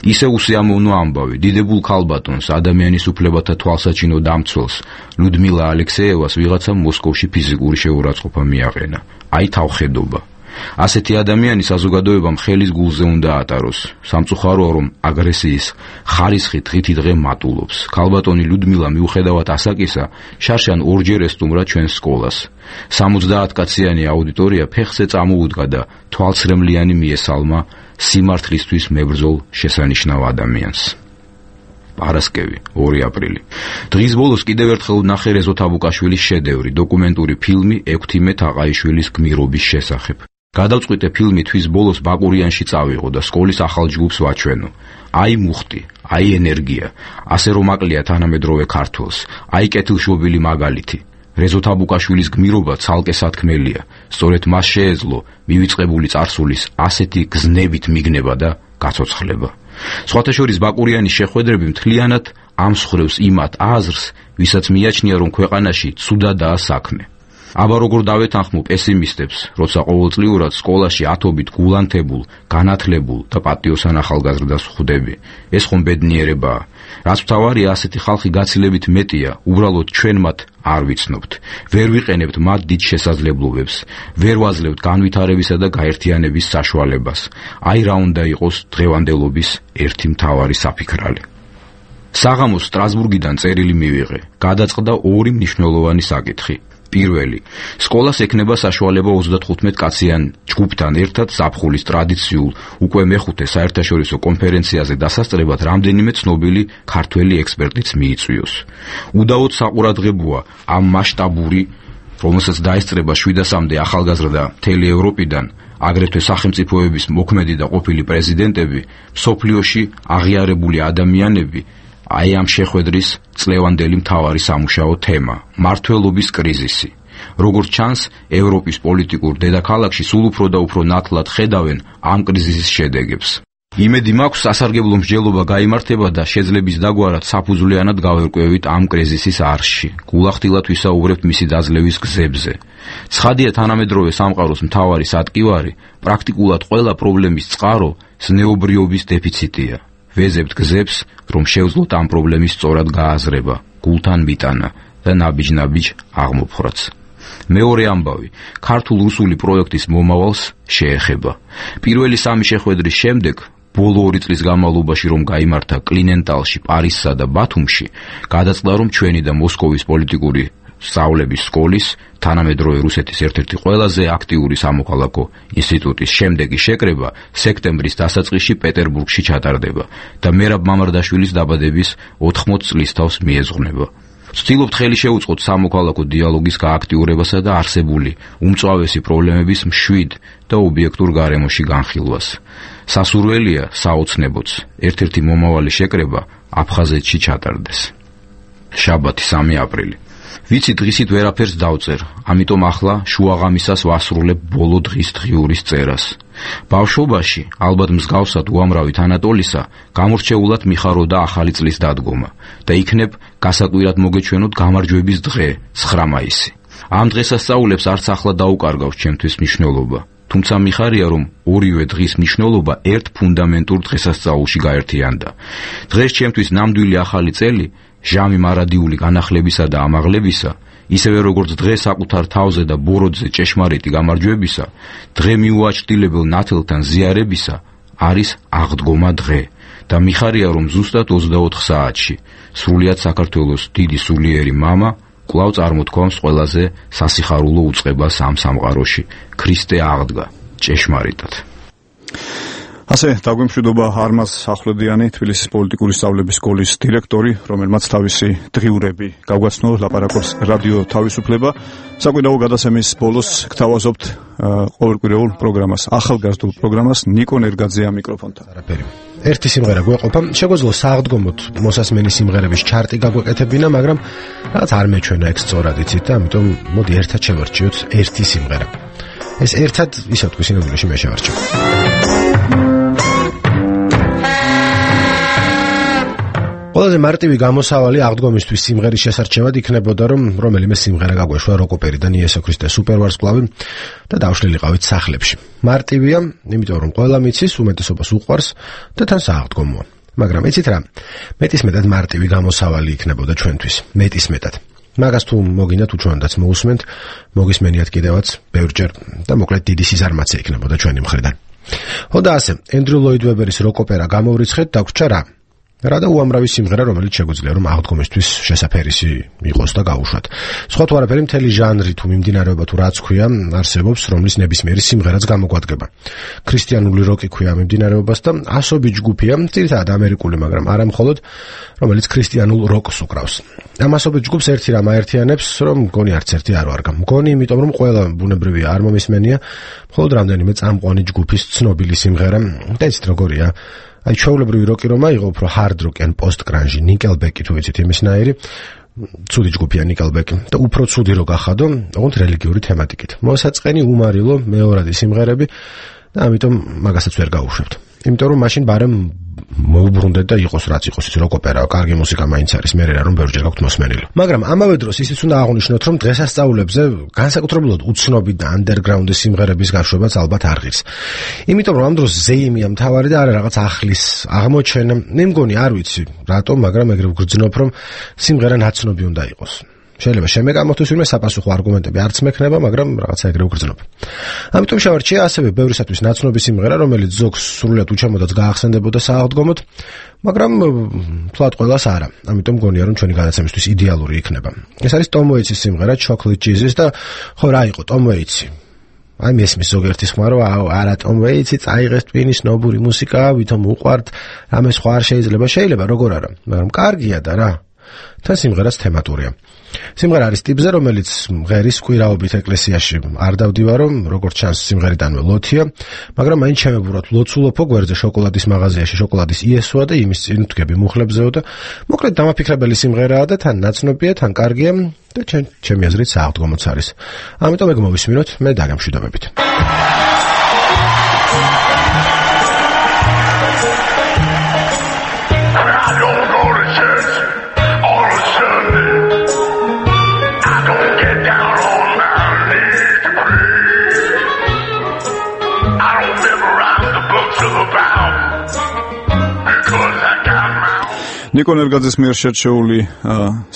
ისე უსიამოვნო ამბავი, დიდებულ ქალბატონს, ადამიანის უფლებათა თვალსაჩინო დამცველს, ლუდმილა ალექსეევას ვიღაცამ მოსკოვში ფიზიკური შეურაცხყოფა მიაყენა. აი თავხედობა. ასეთი ადამიანი საზოგადოებამ ხელის გულზე უნდა ატაროს. სამწუხაროა, რომ აგრესიის ხარისხი დღითიდღე მატულობს. ქალბატონი ლუდმილა მიუხედავად ასაკისა, შარშან ორჯერ ესტუმრა ჩვენს სკოლას. 70 კაციანი აუდიტორია ფეხზე წამოუდგა და თვალცრემლიანი მიესალმა სიმართლისთვის მებრძოლ შესანიშნავ ადამიანს. პარასკევი 2 აპრილი. დღის ბოლოს კიდევ ერთხელ ვნახე რეზო თაბუკაშვილის შედევრი, დოკუმენტური ფილმი ექვთიმე თაყაიშვილის გმირობის შესახებ. გადავწყვიტე ფილმი თვის ბოლოს ბაკურიანში წავიღო და სკოლის ახალ ჯგუფს ვაჩვენო. აი მუხტი, აი ენერგია, ასე რომ აკლია თანამედროვე ქართველს, აი კეთილშობილი მაგალითი. რეზო თაბუკაშვილის გმირობა ცალკე სათქმელია. სწორედ მას შეეძლო მივიწყებული წარსულის ასეთი გზნებით მიგნება და გაცოცხლება. სხვათა შორის ბაკურიანის შეხვედრები მთლიანად ამსხვრევს იმათ აზრს, ვისაც მიაჩნია, რომ ქვეყანაში ცუდადაა საქმე. აბა როგორ დავეთანხმო პესიმისტებს, როცა ყოველწლიურად სკოლაში ათობით გულანთებულ, განათლებულ და პატიოსან ახალგაზრდას ხვდები. ეს ხომ ბედნიერებაა. რაც მთავარია, ასეთი ხალხი გაცილებით მეტია, უბრალოდ ჩვენ მათ არ ვიცნობთ. ვერ ვიყენებთ მათ დიდ შესაძლებლობებს, ვერ ვაძლევთ განვითარებისა და გაერთიანების საშუალებას. აი რა უნდა იყოს დღევანდელობის ერთი მთავარი საფიქრალი. საღამოს სტრასბურგიდან წერილი მივიღე. გადაწყდა 2 მნიშვნელოვანი საკითხი. პირველი, სკოლას ექნება საშუალება 35 კაციან ჯგუფთან ერთად ზაფხულის ტრადიციულ უკვე მეხუთე საერთაშორისო კონფერენციაზე დასასწრებად რამდენიმე ცნობილი ქართველი ექსპერტიც მიიწვიოს. უდაოდ საყურადღებოა ამ მასშტაბური, რომელსაც დაესწრება 700-მდე ახალგაზრდა მთელი ევროპიდან, აგრეთვე სახელმწიფოების მოქმედი და ყოფილი პრეზიდენტები, მსოფლიოში აღიარებული ადამიანები, აი ამ შეხვედრის წლევანდელი მთავარი სამუშაო თემა მმართველობის კრიზისი. როგორც ჩანს, ევროპის პოლიტიკურ დედაქალაქში სულ უფრო და უფრო ნათლად ხედავენ ამ კრიზისის შედეგებს. იმედი მაქვს, სასარგებლო მსჯელობა გაიმართება და შეძლების დაგვარად საფუძვლიანად გავერკვევით ამ კრიზისის არხში. გულახდილად ვისაუბრებთ მისი დაძლევის გზებზე. ცხადია, თანამედროვე სამყაროს მთავარი სატკივარი, პრაქტიკულად ყველა პრობლემის წყარო ზნეობრიობის დეფიციტია. ვეზებთ გზებს, რომ შევძლოთ ამ პრობლემის სწორად გააზრება, გულთან მიტანა და ნაბიჯ-ნაბიჯ აღმოფხვრაც. მეორე ამბავი, ქართულ-რუსული პროექტის მომავალს შეეხება. პირველი სამი შეხვედრის შემდეგ, ბოლო 2 წლის განმავლობაში რომ გაიმართა კლინენტალში, პარიზსა და ბათუმში, გადაწყდა, რომ ჩვენი და მოსკოვის პოლიტიკური სწავლების სკოლის, თანამედროვე რუსეთის ერთ-ერთი ყველაზე აქტიური სამოქალაქო ინსტიტუტის შემდეგი შეკრება სექტემბრის დასაწყისში პეტერბურგში ჩატარდება და მერაბ მამარდაშვილის დაბადების 80 წლისთავს მიეზღუნება. ვცდილობთ ხელი შეუწყოთ სამოქალაქო დიალოგის გააქტიურებასა და არსებული უმწვავესი პრობლემების მშვიდ და ობიექტურ გარემოში განხილვას. სასურველია, საოცნებოც, ერთ-ერთი მომავალი შეკრება აფხაზეთში ჩატარდეს. შაბათი 3 აპრილი. ვიცი დღისით ვერაფერს დავწერ, ამიტომ ახლა შუაღამისას ვასრულებ ბოლო დღის დღიურის წერას. ბავშვობაში, ალბათ მსგავსად უამრავი თანატოლისა, გამორჩეულად მიხაროდა ახალი წლის დადგომა და იქნებ გასაკვირად მოგეჩვენოთ გამარჯვების დღე, 9 მაისი. ამ დღესასწაულებს არც ახლა დაუკარგავს ჩემთვის მნიშვნელობა. თუმცა მიხარია, რომ ორივე დღის მნიშვნელობა ერთ ფუნდამენტურ დღესასწაულში გაერთიანდა. დღეს ჩემთვის ნამდვილი ახალი წელი, ჟამი მარადიული განახლებისა და ამაღლებისა, ისევე როგორც დღე საკუთარ თავზე და ბოროტზე ჭეშმარიტი გამარჯვებისა, დღე მიუაჩრდილებელ ნათელთან ზიარებისა, არის აღდგომა დღე და მიხარია, რომ ზუსტად 24 საათში სრულიად საქართველოს დიდი სულიერი მამა კვლავ წარმოთქვამს ყველაზე სასიხარულო უწყებას ამ სამყაროში. ქრისტე აღდგა ჭეშმარიტად. ასე დაგვემშვიდობა არმაზ ახვლედიანი, თბილისის პოლიტიკური სწავლების სკოლის დირექტორი, რომელმაც თავისი დღიურები გავგაცნო ლაპარაკობს რადიო თავისუფლება. საკვირაო გადაცემის ბოლოს გთავაზობთ ყოველკვირეულ პროგრამას, ახალგაზრდულ პროგრამას, ნიკო ნერგაძე ამ მიკროფონთან. ერთი სიმღერა გვეყოფა, შეგვეძლო სააღდგომოთ მოსასმენი სიმღერების ჩარტი გაგვეკეთებინა, მაგრამ რაღაც არ მეჩვენა ეგ სწორად იცით და ამიტომ მოდი ერთად შევარჩიოთ ერთი სიმღერა. ეს ერთად ისე თქვი სინამდვილეში მე შევარჩიო. ყველაზე მარტივი გამოსავალი აღდგომისთვის სიმღერის შესარჩევად იქნებოდა, რომ რომელიმე სიმღერა გაგვეშვა როკ-ოპერიდან იესო ქრისტე სუპერვარსკვლავი და დავშლილიყავით სახლებში. მარტივია, იმიტომ რომ ყველა მიცის, უმეტესობას უყვარს და თან სააღდგომოა. მაგრამ იცით რა, მეტისმეტად მარტივი გამოსავალი იქნებოდა ჩვენთვის, მეტისმეტად. მაგას თუ მოგინდათ უჩვენდაც მოусმენთ, მოგისმენიათ კიდევაც ბევრჯერ და მოკლედ დიდი სიზარმაცე იქნებოდა ჩვენი მხრიდან. ხო და ასე, ენდრუ ლოიდ ვებერის როკ-ოპერა გამოვრიცხეთ, დაგვრჩა რა? რა და უამრავი სიმღერა, რომელიც შეგვიძლია რომ აღდგომისთვის შესაფერისი იყოს და გაუშვათ. სხვა თუ არაფერი, მთელი ჟანრი თუ მიმდინარეობა თუ რაც ქვია, არსებობს, რომლის ნებისმიერი სიმღერაც გამოგვადგება. ქრისტიანული როკი ქვია მიმდინარეობას და ასობი ჯგუფია, ძირითადად ამერიკული, მაგრამ არა მხოლოდ, რომელიც ქრისტიანულ როკს უკრავს. ამ ასობი ჯგუფს ერთი რამ აერთიანებს, რომ მგონი არც ერთი არ ვარგა. მგონი, იმიტომ რომ ყველა ბუნებრივია არ მომისმენია, მხოლოდ რამდენიმე წამყვანი ჯგუფის ცნობილი სიმღერა და იცით როგორია. აი ჩვეულებრივი როკი რომ აიღო უფრო hard rock ან post grunge, Nickelback თუ ვიცით იმისნაირი, ცუდი ჯგუფია Nickelback და უფრო ცუდი რო გახადო, ოღონდ რელიგიური თემატიკით. მოსაწყენი უმარილო მეორადი სიმღერები და ამიტომ მაგასაც ვერ გაუშვებთ. იმიტომ რომ მაშინ ბარემ მოუბრუნდეთ და იყოს რაც იყოს ის როკ-ოპერა, კარგი მუსიკა მაინც არის, მე რა რომ ბევრჯერ გაქვთ მოსმენილი. მაგრამ ამავე დროს ისიც უნდა აღვნიშნოთ, რომ დღესასწაულებზე განსაკუთრებულად უცნობი და underground-ის სიმღერების გაშვებაც ალბათ არ ღირს. იმიტომ რომ ამ დროს ზეიმია მთავარი და არა რაღაც ახლის აღმოჩენა. მე მგონი არ ვიცი რატომ, მაგრამ ეგრე ვგრძნობ, რომ სიმღერა ნაცნობი უნდა იყოს. შეიძლება შემეგამოთოს ვინმე საპასუხო არგუმენტები არც მექნება, მაგრამ რაღაცა ეგრე უგრძნობა. ამიტომ შევარჩია ასევე ბევრისათვის ნაცნობი სიმღერა, რომელიც ზოგს სრულიად უჩამოდაც გაახსენდებოდა სააღდგომოდ, მაგრამ თლად ყველას არა. ამიტომ გონია რომ ჩვენი გადაცემისთვის იდეალური იქნება. ეს არის Tom Waits-ის სიმღერა Chocolate Jesus და ხო რა იყო Tom Waits-ი? აი მესმის ზოგერთის ხმა რომ არა Tom Waits-ი წაიღეს ტვინის ნობური მუსიკა, ვითომ უყვართ, რამე სხვა არ შეიძლება როგორ არა, მაგრამ კარგია და რა. თან სიმღერაც თემატურია. სიმღერა არის ტიპზე, რომელიც ღერის კვირაობით ეკლესიაში არ დავდივარო, როგორც ჩანს სიმღერიდანვე ლოთია, მაგრამ მაინც შემებურათ ლოცულობო გვერდზე შოკოლადის მაღაზიაში შოკოლადის იესოა და იმის წინ ვდგები მუხლებზეო და მოკლედ დამაფიქრებელი სიმღერაა და თან ნაცნობია, თან კარგია და ჩემი აზრით სააღდგომოც არის. ამიტომ ეგ მოვისმინოთ მე დაგემშვიდობებით. ნიკო ნერგაძის მიერ შერჩეული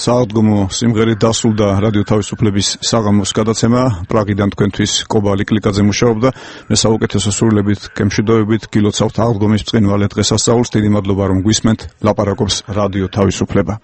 სააღდგომო სიმღერით დასრულდა რადიო თავისუფლების საღამოს გადაცემა. პრაგიდან თქვენთვის კობალი კლიკაძე მუშაობდა. მე საუკეთესო სრულებით გემშვიდობებით გილოცავთ აღდგომის ბრწყინვალე დღესასწაულს. დიდი მადლობა რომ გვისმენთ. ლაპარაკობს რადიო თავისუფლება.